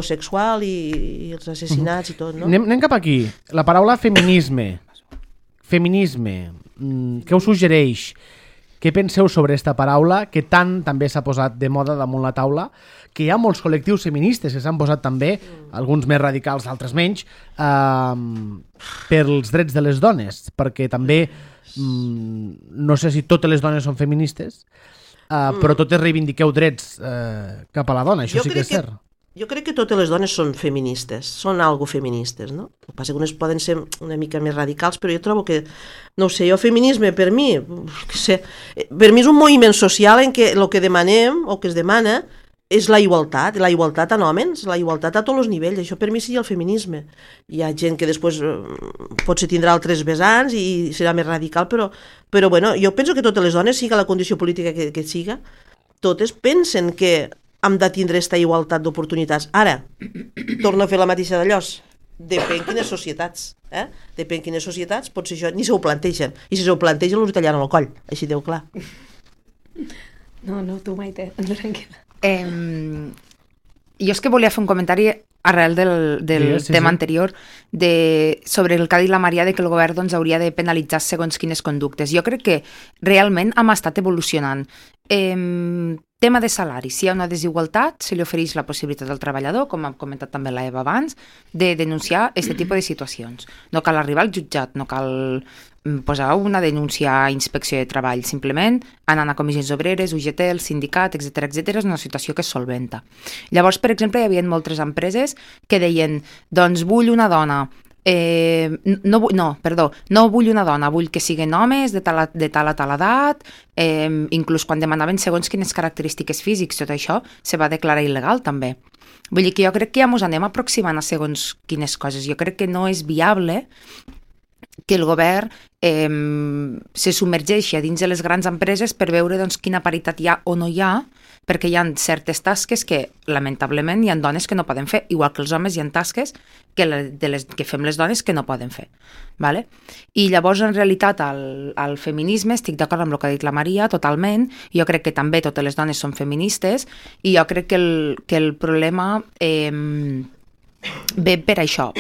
sexual i els assassinats i tot, no? Anem cap aquí. La paraula feminisme, què us suggereix? Què penseu sobre aquesta paraula que tant també s'ha posat de moda damunt la taula, que hi ha molts col·lectius feministes que s'han posat també, alguns més radicals, altres menys, pels drets de les dones, perquè també no sé si totes les dones són feministes, però totes reivindiqueu drets cap a la dona, això sí que és cert. Jo crec que totes les dones són feministes, són algo feministes, no? El que passa que unes poden ser una mica més radicals, però jo trobo que, no sé, el feminisme per mi, per mi és un moviment social en què el que demanem o que es demana és la igualtat en homes, la igualtat a tots els nivells, això per mi seria el feminisme. Hi ha gent que després potser tindrà altres vessants i serà més radical, però bueno, jo penso que totes les dones, siga la condició política que siga, totes pensen que hem de tindre aquesta igualtat d'oportunitats. Ara, torno a fer la mateixa d'allòs. Depèn quines societats. Depèn quines societats, potser això ni se ho plantegen. I si se ho plantegen, els tallaran el coll. Així deu clar. No, tu, Maite, tranquil·la. Jo és que volia fer un comentari arrel del tema anterior sobre el que ha dit la Maria de que el govern doncs, hauria de penalitzar segons quines conductes. Jo crec que realment hem estat evolucionant. Tema de salari. Si hi ha una desigualtat, se li ofereix la possibilitat al treballador, com ha comentat també la Eva abans, de denunciar aquest tipus de situacions. No cal arribar al jutjat, no cal posar una denúncia a inspecció de treball, simplement anant a comissions obreres, UGT, el sindicat, etc és una situació que es solventa. Llavors, per exemple, hi havia moltes empreses que deien, doncs vull una dona, no vull una dona, vull que siguin homes de tal a tal edat, inclús quan demanaven segons quines característiques físics, tot això se va declarar il·legal també. Vull dir que jo crec que ja ens anem aproximant a segons quines coses. Jo crec que no és viable que el govern se submergeixi a dins de les grans empreses per veure doncs, quina paritat hi ha o no hi ha, perquè hi ha certes tasques que, lamentablement, hi ha dones que no poden fer, igual que els homes hi ha tasques que fem les dones que no poden fer. Vale? I llavors, en realitat, al feminisme, estic d'acord amb el que ha dit la Maria, totalment, jo crec que també totes les dones són feministes, i jo crec que el problema ve per això,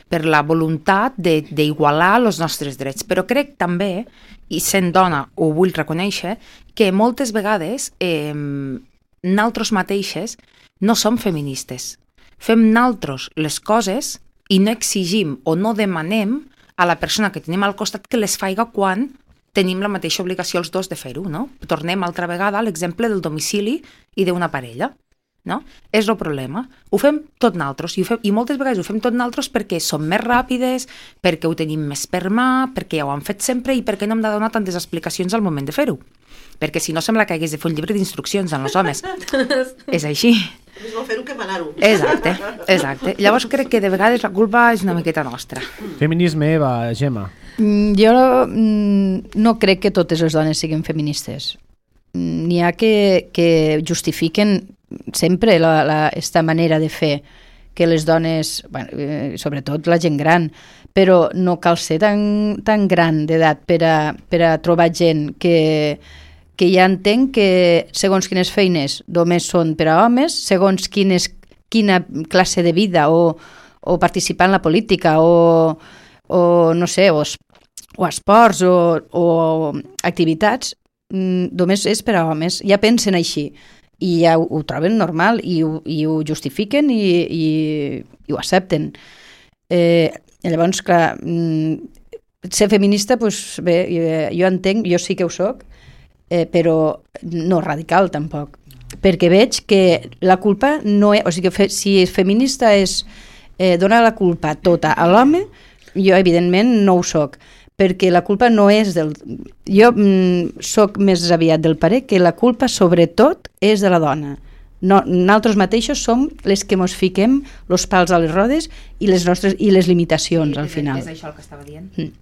per la voluntat d'igualar els nostres drets. Però crec també, i sent dona ho vull reconèixer, que moltes vegades nosaltres mateixes no som feministes. Fem nosaltres les coses i no exigim o no demanem a la persona que tenim al costat que les faiga quan tenim la mateixa obligació els dos de fer-ho, no? Tornem altra vegada a l'exemple del domicili i d'una parella. No? És el problema. Ho fem tot nosaltres i moltes vegades ho fem tot nosaltres perquè som més ràpides, perquè ho tenim més per mà, perquè ja ho han fet sempre i perquè no hem de donar tantes explicacions al moment de fer-ho. Perquè si no sembla que hagués de fer un llibre d'instruccions en els homes. És així. És no fer-ho que manar-ho. Exacte. Llavors crec que de vegades la culpa és una miqueta nostra. Feminisme, Eva, Gemma. Jo no crec que totes les dones siguin feministes. N'hi ha que justifiquen sempre esta manera de fer que les dones, sobretot la gent gran, però no cal ser tan gran d'edat per a trobar gent que ja entenc que segons quines feines només són per a homes, segons quina classe de vida o participar en la política o no sé, o esports o activitats, només és per a homes. Ja pensen així i ja ho troben normal i ho justifiquen i ho accepten. Llavors, clar, ser feminista, doncs bé, jo entenc, jo sí que ho soc, però no radical tampoc, perquè veig que la culpa no és, o sigui que si és feminista és donar la culpa tota a l'home, jo evidentment no ho soc, perquè la culpa no és del... Jo soc més aviat del parer que la culpa sobretot és de la dona. Nosaltres mateixos som les que mos fiquem els pals a les rodes i les limitacions al final. És això el que estava dient.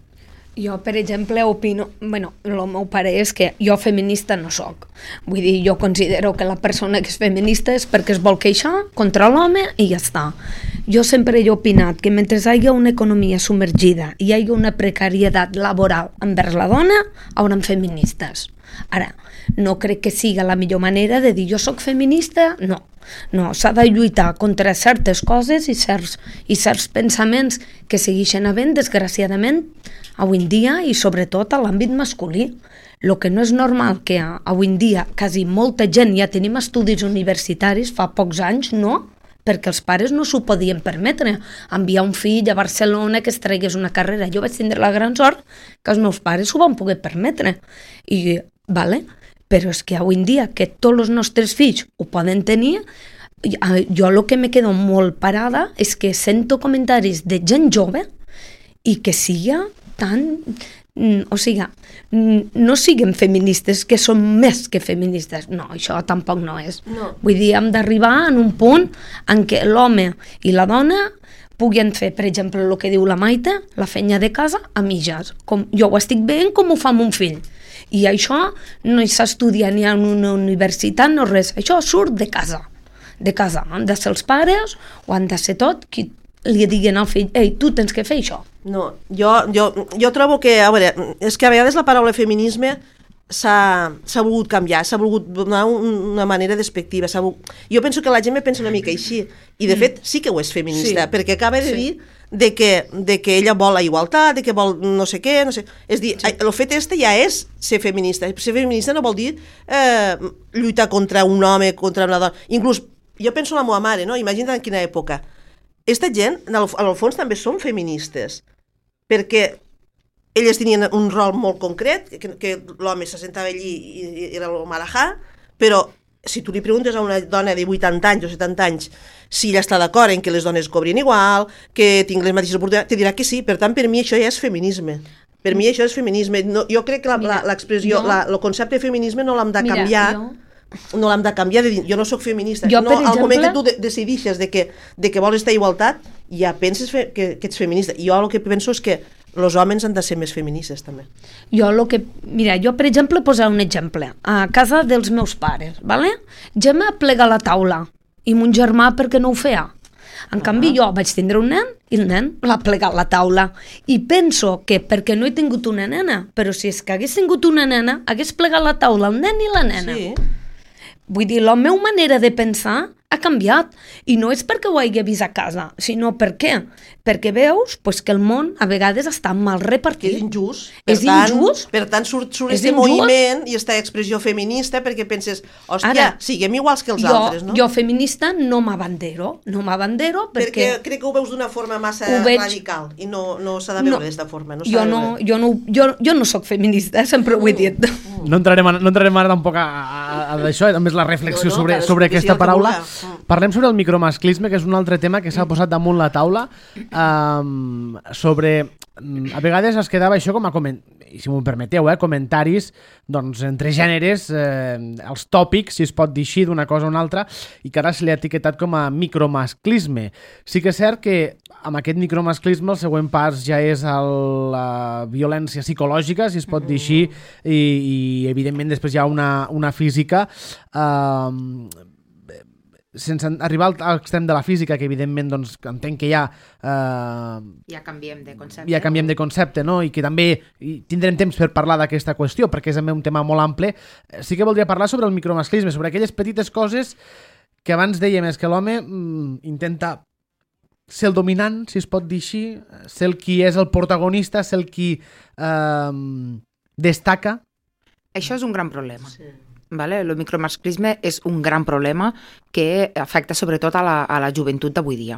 Jo, per exemple, opino... el meu parer és que jo feminista no soc. Vull dir, jo considero que la persona que és feminista és perquè es vol queixar contra l'home i ja està. Jo sempre he opinat que mentre hi hagi una economia submergida i hi hagi una precarietat laboral envers la dona, hauran feministes. Ara, no crec que siga la millor manera de dir jo soc feminista, no. No, s'ha de lluitar contra certes coses i certs pensaments que segueixen havent, desgraciadament, avui en dia i sobretot a l'àmbit masculí. El que no és normal que avui en dia quasi molta gent ja tenim estudis universitaris, fa pocs anys, no? Perquè els pares no s'ho podien permetre, enviar un fill a Barcelona que es tragués una carrera. Jo vaig tindre la gran sort que els meus pares s'ho van poder permetre. I, vale, però és que avui en dia que tots els nostres fills ho poden tenir, jo el que me quedo molt parada és que sento comentaris de gent jove i que siga tan... O sigui, no siguem feministes, que som més que feministes. No, això tampoc no és. No. Vull dir, hem d'arribar en un punt en què l'home i la dona puguin fer, per exemple, el que diu la Maite, la feina de casa a mitges. Com jo ho estic veient com ho fa mon fill. I això no s'estudia ni en una universitat, no res. Això surt de casa. De casa. Han de ser els pares o han de ser tot qui li diguin al fill, ei, tu tens que fer això. No, jo trobo que, a veure, és que a vegades la paraula feminisme s'ha volgut canviar, s'ha volgut donar una manera despectiva. Jo penso que la gent me pensa una mica així, i de fet sí que ho és feminista, perquè acaba de dir de que ella vol la igualtat, de que vol no sé què, no sé... És dir, el fet este ja és ser feminista. Ser feminista no vol dir lluitar contra un home, contra una dona. Inclús, jo penso en la meva mare, no? Imagina't en quina època. Esta gent, al fons, també són feministes, perquè elles tenien un rol molt concret, que l'home se sentava allí i era el marajà, però si tu li preguntes a una dona de 80 anys o 70 anys si ella està d'acord en que les dones cobrin igual, que tinguin les mateixes oportunitats, te dirà que sí. Per tant, per mi això ja és feminisme. Per mi això és feminisme. No, jo crec que l'expressió, el concepte de feminisme no l'hem de canviar. No l'hem de canviar, de dir, jo no sóc feminista. Jo, no, al moment que tu decidixes de que vols estar a igualtat, ja penses que ets feminista. Jo el que penso és que els homes han de ser més feministes, també. Jo, per exemple, posar un exemple. A casa dels meus pares, ¿vale? Gemma plega la taula, i mon germà perquè no ho feia. En canvi, jo vaig tindre un nen i el nen l'ha plegat la taula. I penso que perquè no he tingut una nena, però si és que hagués tingut una nena, hagués plegat la taula el nen i la nena. Sí. Vull dir, la meva manera de pensar ha canviat, i no és perquè ho hagi vist a casa, sinó perquè veus que el món a vegades està mal repartit. És injust. Per tant, surt aquest moviment i aquesta expressió feminista perquè penses, hòstia, siguem iguals que els altres, no? Jo feminista no m'abandero perquè crec que ho veus d'una forma massa radical i no s'ha de veure d'esta forma. Jo no soc feminista, sempre ho he dit. No entrarem ara tampoc a d'això, a més la reflexió sobre aquesta paraula. Parlem sobre el micromasclisme, que és un altre tema que s'ha posat damunt la taula. A vegades es quedava això com a i si m'ho permeteu, comentaris entre gèneres, els tòpics, si es pot dir així, d'una cosa o una altra, i que ara se li ha etiquetat com a micromasclisme. Sí que és cert que amb aquest micromasclisme el següent pas ja és la violència psicològica, si es pot dir així, i evidentment després hi ha una física, sense arribar a l'extrem de la física, que evidentment entenc que ja canviem de concepte. Ja canviem de concepte, no? I que també tindrem temps per parlar d'aquesta qüestió, perquè és també un tema molt ample. Sí que voldria parlar sobre el micromasclisme, sobre aquelles petites coses que abans dèiem, és que l'home intenta ser el dominant, si es pot dir així, ser el qui és el protagonista, ser el qui destaca. Això és un gran problema. Sí. Vale? El micromasclisme és un gran problema que afecta sobretot a la joventut d'avui dia.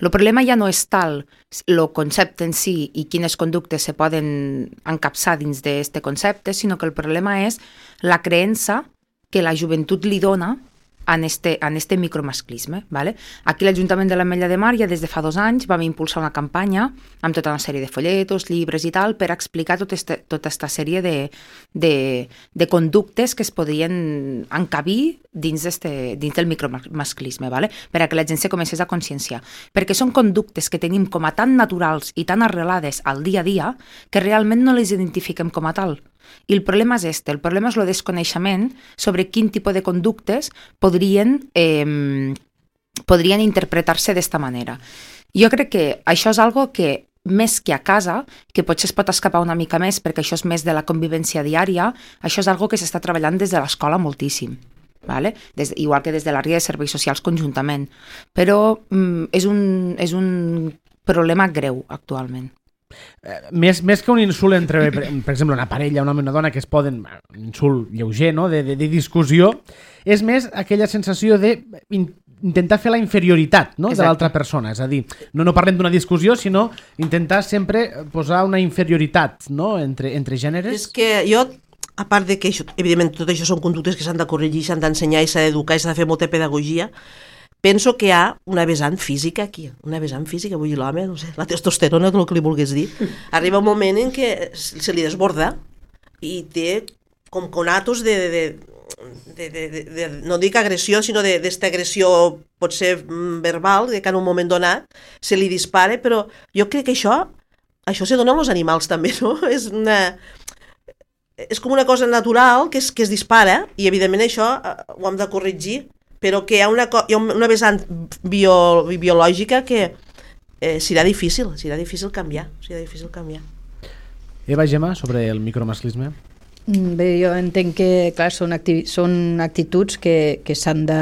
El problema ja no és tal el concepte en si i quines conductes se poden encapçar dins d'aquest concepte, sinó que el problema és la creença que la joventut li dona en este micromasclisme. Vale? Aquí l'Ajuntament de l'Ametlla de Mar ja des de fa 2 anys vam impulsar una campanya amb tota una sèrie de folletos, llibres i tal, per explicar tota aquesta sèrie de conductes que es podrien encabir dins del micromasclisme, vale? Per a que la gent se comencés a conscienciar. Perquè són conductes que tenim com a tan naturals i tan arrelades al dia a dia que realment no les identifiquem com a tal. I el problema és el problema és el desconeixement sobre quin tipus de conductes podrien interpretar-se d'esta manera. Jo crec que això és algo que, més que a casa, que potser es pot escapar una mica més perquè això és més de la convivència diària, això és algo que s'està treballant des de l'escola moltíssim. Vale? Igual que des de l'àrea de serveis socials conjuntament. Però és un problema greu actualment. Més que un insult entre, per exemple, una parella, un home i una dona, que es poden, un insult lleuger, no? de discussió, és més aquella sensació d'intentar fer la inferioritat, no? de l'altra persona. És a dir, no parlem d'una discussió, sinó intentar sempre posar una inferioritat, no? entre gèneres. És que jo a part de que, evidentment, tot això són conductes que s'han de corregir, s'han d'ensenyar i s'ha d'educar i s'ha de fer molta pedagogia, penso que hi ha una vessant física aquí, vull dir, l'home, no sé, la testosterona, el que li vulguis dir, arriba un moment en què se li desborda i té com conatos no dic agressió, sinó d'esta agressió potser verbal, que en un moment donat se li dispara, però jo crec que això se dona als animals també, no? És com una cosa natural que es dispara i evidentment això ho hem de corregir, però que hi ha una vessant biològica que serà difícil canviar. Eva, Gemma, sobre el micromasclisme? Bé, jo entenc que, clar, són actituds que s'han de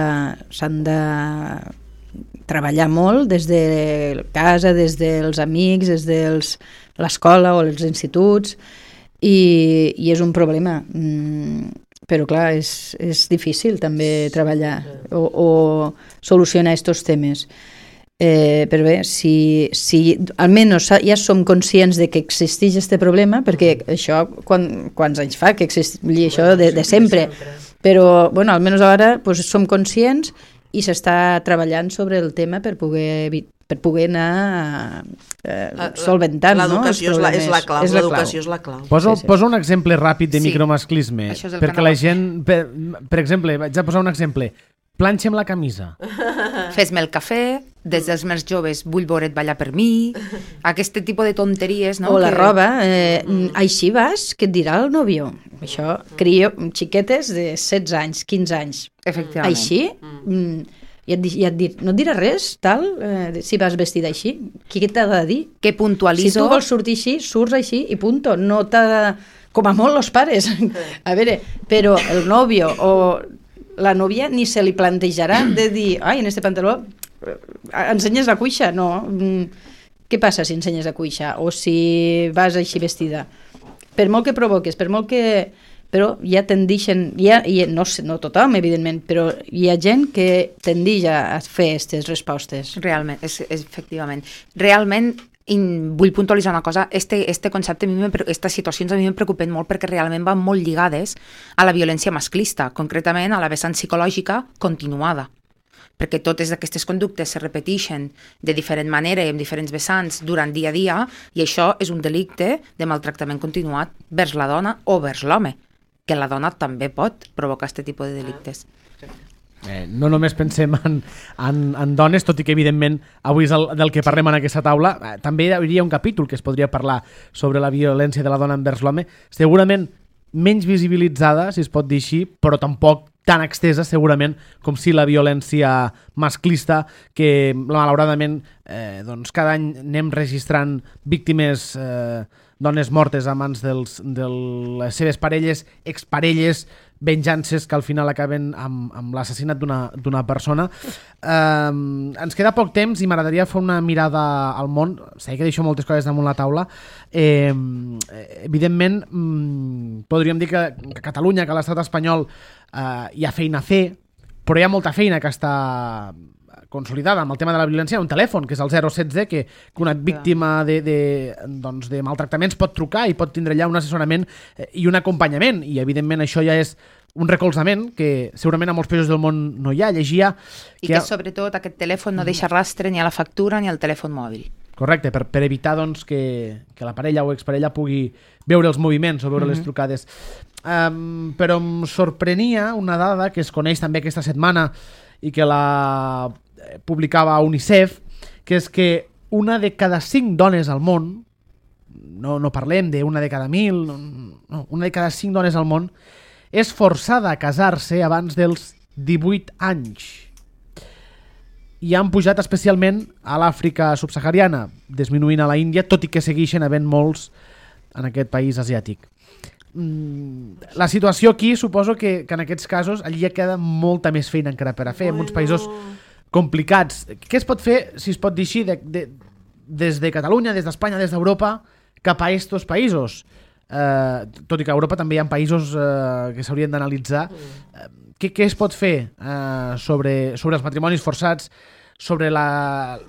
treballar molt des de casa, des dels amics, des de l'escola o els instituts, i és un problema. Però clar, és difícil també treballar o solucionar aquests temes. Però bé, si almenys ja som conscients de que existeix aquest problema, perquè això, quants anys fa que existeix això de sempre, però bueno, almenys ara pues, som conscients i s'està treballant sobre el tema per poder anar solventant. L'educació és la clau. L'educació és la clau. Posa un exemple ràpid de micromasclisme, perquè la gent, per exemple, vaig a posar un exemple, planxem la camisa. Fes-me el cafè, des dels més joves vull veure't ballar per mi, aquest tipus de tonteries, no? O la roba, així vas, què et dirà el nòvio? Això, crio xiquetes de 16 anys, 15 anys. Efectivament. Així? I et dir, no et dirà res, tal, si vas vestida així? Què t'ha de dir? Que puntualitzo... Si tu vols sortir així, surts així i punto. No t'ha de... Com a molt els pares. A veure, però el nòvio o la nòvia ni se li plantejarà de dir, ai, en este pantaló ensenyes la cuixa. No. Què passa si ensenyes la cuixa? O si vas així vestida? Per molt que provoques, per molt que... Però ja tendixen, no tothom, evidentment, però hi ha gent que tendix a fer aquestes respostes. Realment, efectivament. Realment, vull puntualitzar una cosa, este concepte, aquestes situacions a mi m'han preocupat molt perquè realment van molt lligades a la violència masclista, concretament a la vessant psicològica continuada, perquè totes aquestes conductes se repeteixen de diferent manera i amb diferents vessants durant dia a dia, i això és un delicte de maltractament continuat vers la dona o vers l'home, que la dona també pot provocar aquest tipus de delictes. No només pensem en dones, tot i que evidentment avui és del que parlem en aquesta taula, també hi hauria un capítol que es podria parlar sobre la violència de la dona envers l'home, segurament menys visibilitzada, si es pot dir així, però tampoc tan extesa segurament com si la violència masclista, que malauradament doncs cada any anem registrant víctimes, dones mortes a mans de les seves parelles, exparelles, venjances que al final acaben amb l'assassinat d'una persona. Ens queda poc temps i m'agradaria fer una mirada al món. Sé que deixo moltes coses damunt la taula. Evidentment, podríem dir que a Catalunya, que a l'estat espanyol hi ha feina a fer, però hi ha molta feina que està consolidada amb el tema de la violència. Un telèfon, que és el 016, que una víctima de maltractaments pot trucar i pot tindre allà un assessorament i un acompanyament, i evidentment això ja és un recolzament que segurament a molts països del món no hi ha. Llegia... I que sobretot aquest telèfon no deixa rastre ni a la factura ni al telèfon mòbil. Correcte, per evitar doncs, que la parella o exparella pugui veure els moviments o veure les trucades. Però em sorprenia una dada que es coneix també aquesta setmana i que la publicava UNICEF, que és que una de cada 5 dones al món, no parlem d'una de cada 1.000, no, una de cada 5 dones al món és forçada a casar-se abans dels 18 anys. I han pujat especialment a l'Àfrica subsahariana, disminuint a la Índia, tot i que segueixen havent molts en aquest país asiàtic. La situació aquí suposo que en aquests casos allí ja queda molta més feina encara per a fer, en uns països complicats. Què es pot fer, si es pot dir així, des de Catalunya, des d'Espanya, des d'Europa, cap a aquests països? Tot i que a Europa també hi ha països que s'haurien d'analitzar. Què es pot fer sobre els matrimonis forçats, sobre la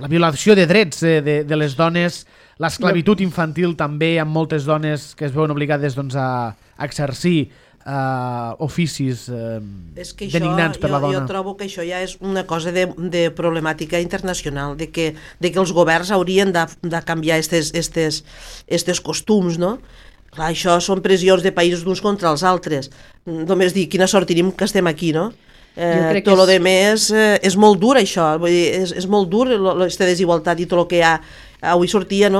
violació de drets de les dones l'esclavitud infantil també amb moltes dones que es veuen obligades doncs, a exercir oficis denigrants per la dona. Jo trobo que això ja és una cosa de problemàtica internacional, de que els governs haurien de canviar estes costums, no? Clar, això són pressions de països d'uns contra els altres. Només dir, quina sort tenim que estem aquí, no? Tot el que més és molt dur això, vull dir, és molt dur aquesta desigualtat i tot el que hi ha. Avui sortien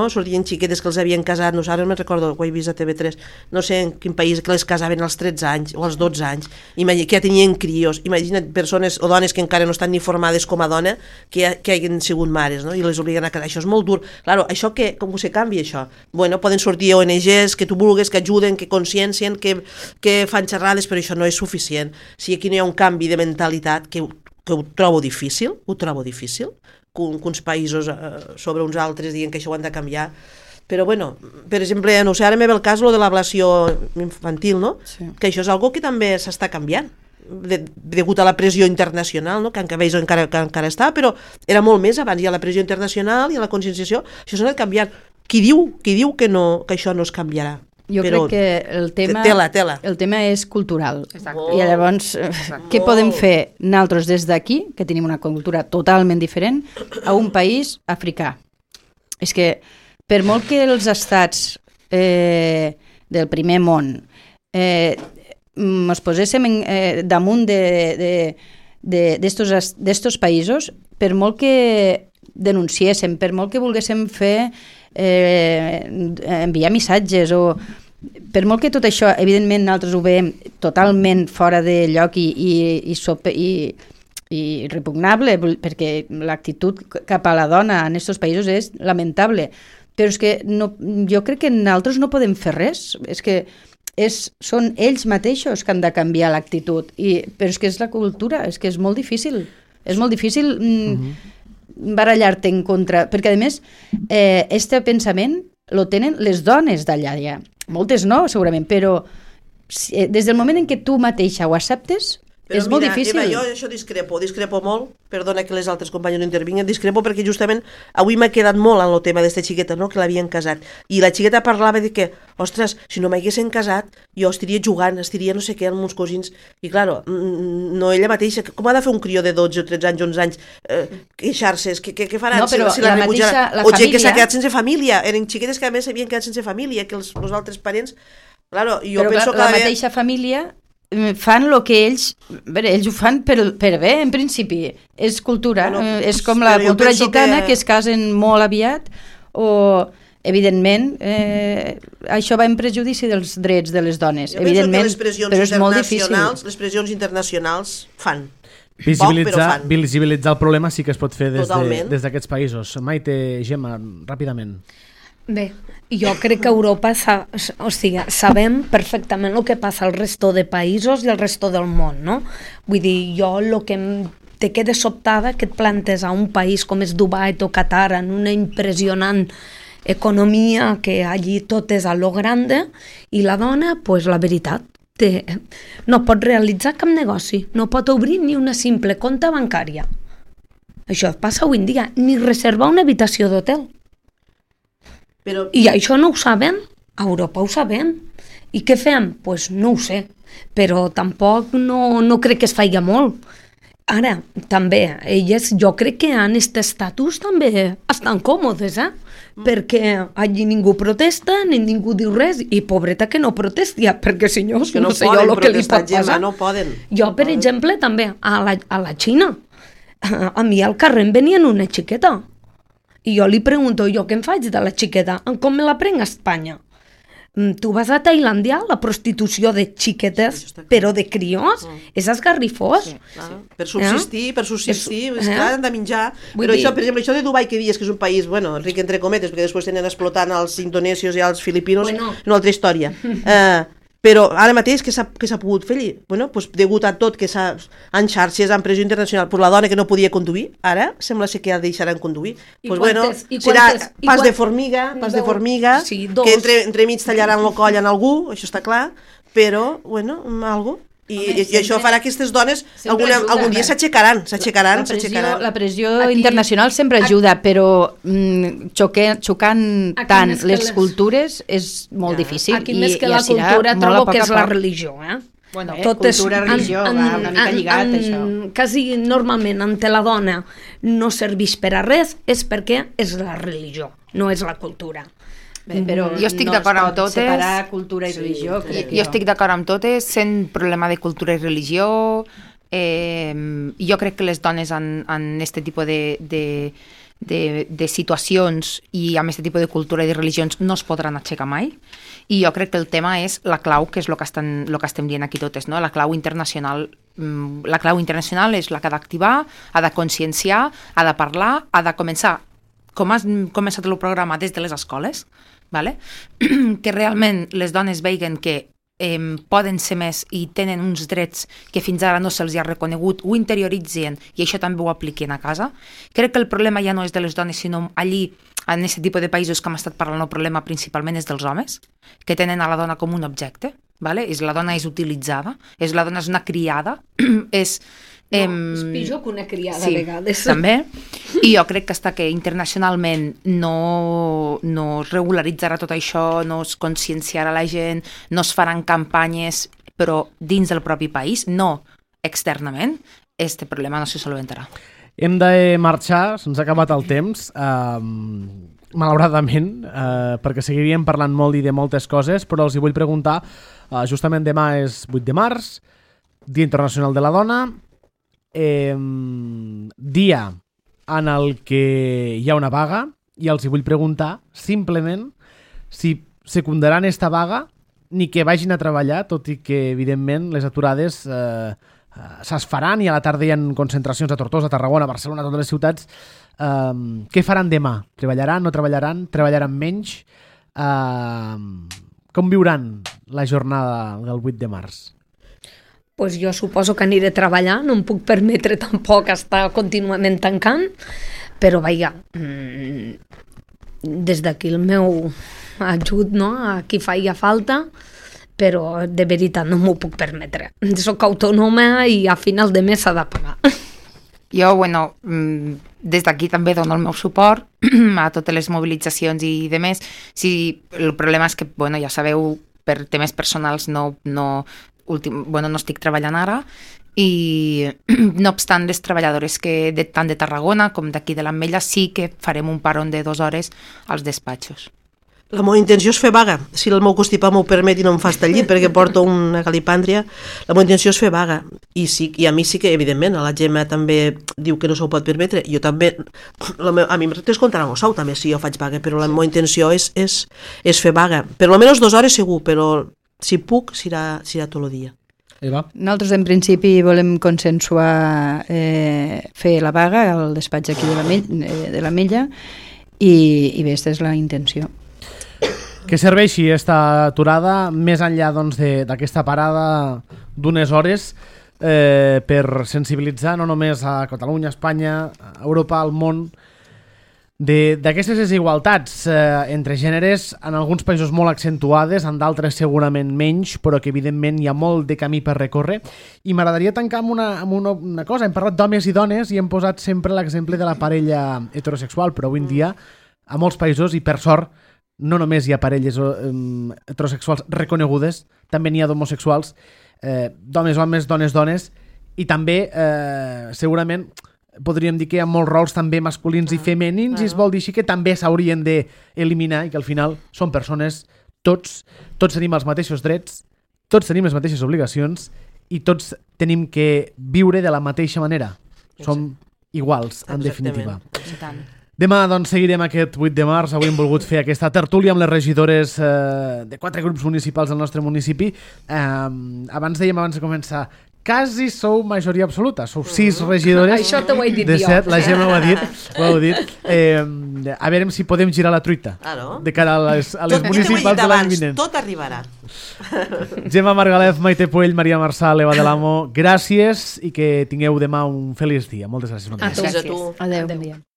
xiquetes que els havien casat, no sé, ara me'n recordo, ho he vist a TV3, no sé en quin país, que les casaven als 13 anys o als 12 anys, que ja tenien crios. Imagina't persones o dones que encara no estan ni formades com a dona, que hagin sigut mares, no? I les obliguen a casar. Això és molt dur. Claro, això com se canvia, això? Bueno, poden sortir ONGs que tu vulguis, que ajuden, que consciencien, que fan xerrades, però això no és suficient. Si aquí no hi ha un canvi de mentalitat, que ho trobo difícil, que uns països sobre uns altres diguin que això ho han de canviar. Però bueno, per exemple, no sé, ara me ve el cas de l'ablació infantil, no? Sí. Que això és algo que també s'està canviant degut a la pressió internacional, no? Que encara està, però era molt més abans. Hi ha la pressió internacional i la conscienciació, això s'ha anat canviant. Qui diu que això no es canviarà? Jo crec que el tema és cultural. Exacte. I llavors, què podem fer nosaltres des d'aquí, que tenim una cultura totalment diferent, a un país africà? És que per molt que els estats del primer món ens poséssim damunt d'estos països, per molt que denunciéssim, per molt que volguéssim fer enviar missatges o per molt que tot això, evidentment nosaltres ho veiem totalment fora de lloc i repugnable, perquè l'actitud cap a la dona en aquests països és lamentable, però és que jo crec que nosaltres no podem fer res, és que són ells mateixos que han de canviar l'actitud, però és que és la cultura, és que és molt difícil barallar-te en contra, perquè a més este pensament lo tenen les dones d'allà ja. Moltes no, segurament, però des del moment en què tu mateixa ho acceptes, però és molt difícil. Eva, jo això discrepo molt, perdona que les altres companyes no intervinguen, discrepo perquè justament avui m'ha quedat molt en el tema d'esta xiqueta, no?, que l'havien casat, i la xiqueta parlava de que, ostres, si no m'haguessin casat, jo estaria jugant, estaria no sé què amb meus cosins, i claro, no ella mateixa, com ha de fer un crió de 12 o 13 anys, 11 anys, queixar-se, què faran? No, però si la mateixa, la o gent família... que s'ha quedat sense família, eren xiquetes que a més s'havien quedat sense família, que els altres parents, claro, jo però penso que... la mateixa família fan el que ells ho fan per bé, en principi és cultura, és com la cultura gitana que es casen molt aviat o evidentment això va en prejudici dels drets de les dones, evidentment, però és molt difícil. Les pressions internacionals fan visibilitzar el problema sí que es pot fer des d'aquests països. Maite, Gemma, ràpidament. Bé, jo crec que Europa sabem perfectament el que passa al resto de països i al resto del món, no? Vull dir, jo el que te queda sobtada que et plantes a un país com és Dubai o Qatar en una impressionant economia que allí tot és a lo grande i la dona, pues la veritat, no pot realitzar cap negoci, no pot obrir ni una simple compte bancària. Això passa avui en dia, ni reservar una habitació d'hotel. Però... I això no ho sabem, a Europa ho sabem. I què fem? Doncs pues no ho sé, però tampoc no crec que es faci molt. Ara, també, elles jo crec que en aquest estatus també estan còmodes, perquè allí ningú protesta, ni ningú diu res, i pobreta que no protesti, perquè si no sé jo el que li pot passar. No poden. Jo, per exemple, també, a la Xina, a mi al carrer em venien una xiqueta, i jo li pregunto, jo què em faig de la xiqueta? Com me la prenc a Espanya? Tu vas a Tailàndia, la prostitució de xiquetes, però de crios, és esgarrifós. Per subsistir, clar, han de menjar. Però això, per exemple, això de Dubai que dius que és un país, bueno, ric entre cometes, perquè després tenen explotant els indonesios i els filipinos, una altra història. Però ara mateix què s'ha pogut fer allí? Bueno, doncs degut a tot que en xarxes, en pressió internacional, per la dona que no podia conduir, ara sembla ser que ja deixaran conduir. Doncs bueno, serà pas de formiga, que entremig tallaran el coll en algú, això està clar, però, bueno, algo. I això farà que aquestes dones algun dia s'aixecaran. La pressió internacional sempre ajuda, però xocant tant les cultures és molt difícil. Aquí més que la cultura trobo que és la religió, Bueno, cultura, religió, va una mica lligat, això. Quasi normalment, ante la dona no serveix per a res, és perquè és la religió, no és la cultura. Bé, però jo estic d'acord amb totes. Separar cultura i religió. Jo estic d'acord amb totes, sent problema de cultura i religió. Jo crec que les dones en aquest tipus de situacions i amb aquest tipus de cultura i de religions no es podran aixecar mai. I jo crec que el tema és la clau, que és el que estem dient aquí totes, no? La clau internacional és la que ha d'activar, ha de conscienciar, ha de parlar, ha de començar, com has començat el programa, des de les escoles, vale? Que realment les dones veguen que poden ser més i tenen uns drets que fins ara no se'ls ha reconegut, ho interioritzen i això també ho apliquen a casa. Crec que el problema ja no és de les dones, sinó allí, en aquest tipus de països que hem estat parlant, el problema principalment és dels homes, que tenen a la dona com un objecte, vale? La dona és utilitzada, la dona és una criada, és pitjor que una criada a vegades. També, i jo crec que fins que internacionalment no es regularitzarà tot això, no es conscienciarà la gent, no es faran campanyes, però dins del propi país, no externament, este problema no se solventarà. Hem de marxar, se'ns ha acabat el temps, malauradament, perquè seguiríem parlant molt i de moltes coses, però els hi vull preguntar, justament demà és 8 de març, Dia Internacional de la Dona, dia en el que hi ha una vaga, i els hi vull preguntar simplement si secundaran esta vaga ni que vagin a treballar, tot i que evidentment les aturades se's faran i a la tarda hi ha concentracions a Tortosa, a Tarragona, a Barcelona, a totes les ciutats. Què faran demà? Treballaran, no treballaran? Treballaran menys? Com viuran la jornada del 8 de març? Pues jo suposo que aniré a treballar, no em puc permetre tampoc estar contínuament tancant, però vaja, des d'aquí el meu ajut, no?, a qui faria falta, però de veritat no m'ho puc permetre. Soc autònoma i a final de mes s'ha de pagar. Jo, des d'aquí també dono el meu suport a totes les mobilitzacions i demés. Sí, el problema és que, ja sabeu, per temes personals no estic treballant ara, i no obstant les treballadores que tant de Tarragona com d'aquí de l'Ametlla sí que farem un parón de 2 hores als despatxos. La meva intenció és fer vaga. Si el meu constipat m'ho permet i no em fa estar al llit perquè porto una calipàndria, la meva intenció és fer vaga. I a mi sí que, evidentment, la Gemma també diu que no s'ho pot permetre. Jo també, a mi em descomptaran el sou també si jo faig vaga, però la meva intenció és fer vaga. Per almenys 2 hores segur, però si puc, serà tot el dia. Eva? Nosaltres, en principi, volem consensuar fer la vaga al despatx aquí de l'Ametlla i bé, aquesta és la intenció. Que serveixi esta aturada més enllà d'aquesta parada d'unes hores per sensibilitzar no només a Catalunya, a Espanya, a Europa, al món, d'aquestes desigualtats entre gèneres, en alguns països molt accentuades, en d'altres segurament menys, però que evidentment hi ha molt de camí per recórrer. I m'agradaria tancar amb una cosa. Hem parlat d'homes i dones i hem posat sempre l'exemple de la parella heterosexual, però avui en dia a molts països, i per sort, no només hi ha parelles heterosexuals reconegudes, també n'hi ha d'homosexuals, d'homes, homes, dones, dones, i també segurament podríem dir que hi ha molts rols també masculins i femenins, i es vol dir així que també s'haurien d'eliminar, i que al final són persones, tots tenim els mateixos drets, tots tenim les mateixes obligacions i tots tenim que viure de la mateixa manera. Som iguals, en definitiva. Demà doncs, seguirem aquest 8 de març. Avui hem volgut fer aquesta tertúlia amb les regidores de 4 grups municipals del nostre municipi. Abans de començar, quasi sou majoria absoluta. Sou 6 regidores. Això t'ho he dit de 7, jo. la Gemma ho ha dit. A veure si podem girar la truita de cara a les municipals de l'any vinent. Tot arribarà. Gemma Margalef, Maite Puell, Maria Marçal, Eva de l'Amo, gràcies i que tingueu demà un feliç dia. Moltes gràcies. A tu. Adéu.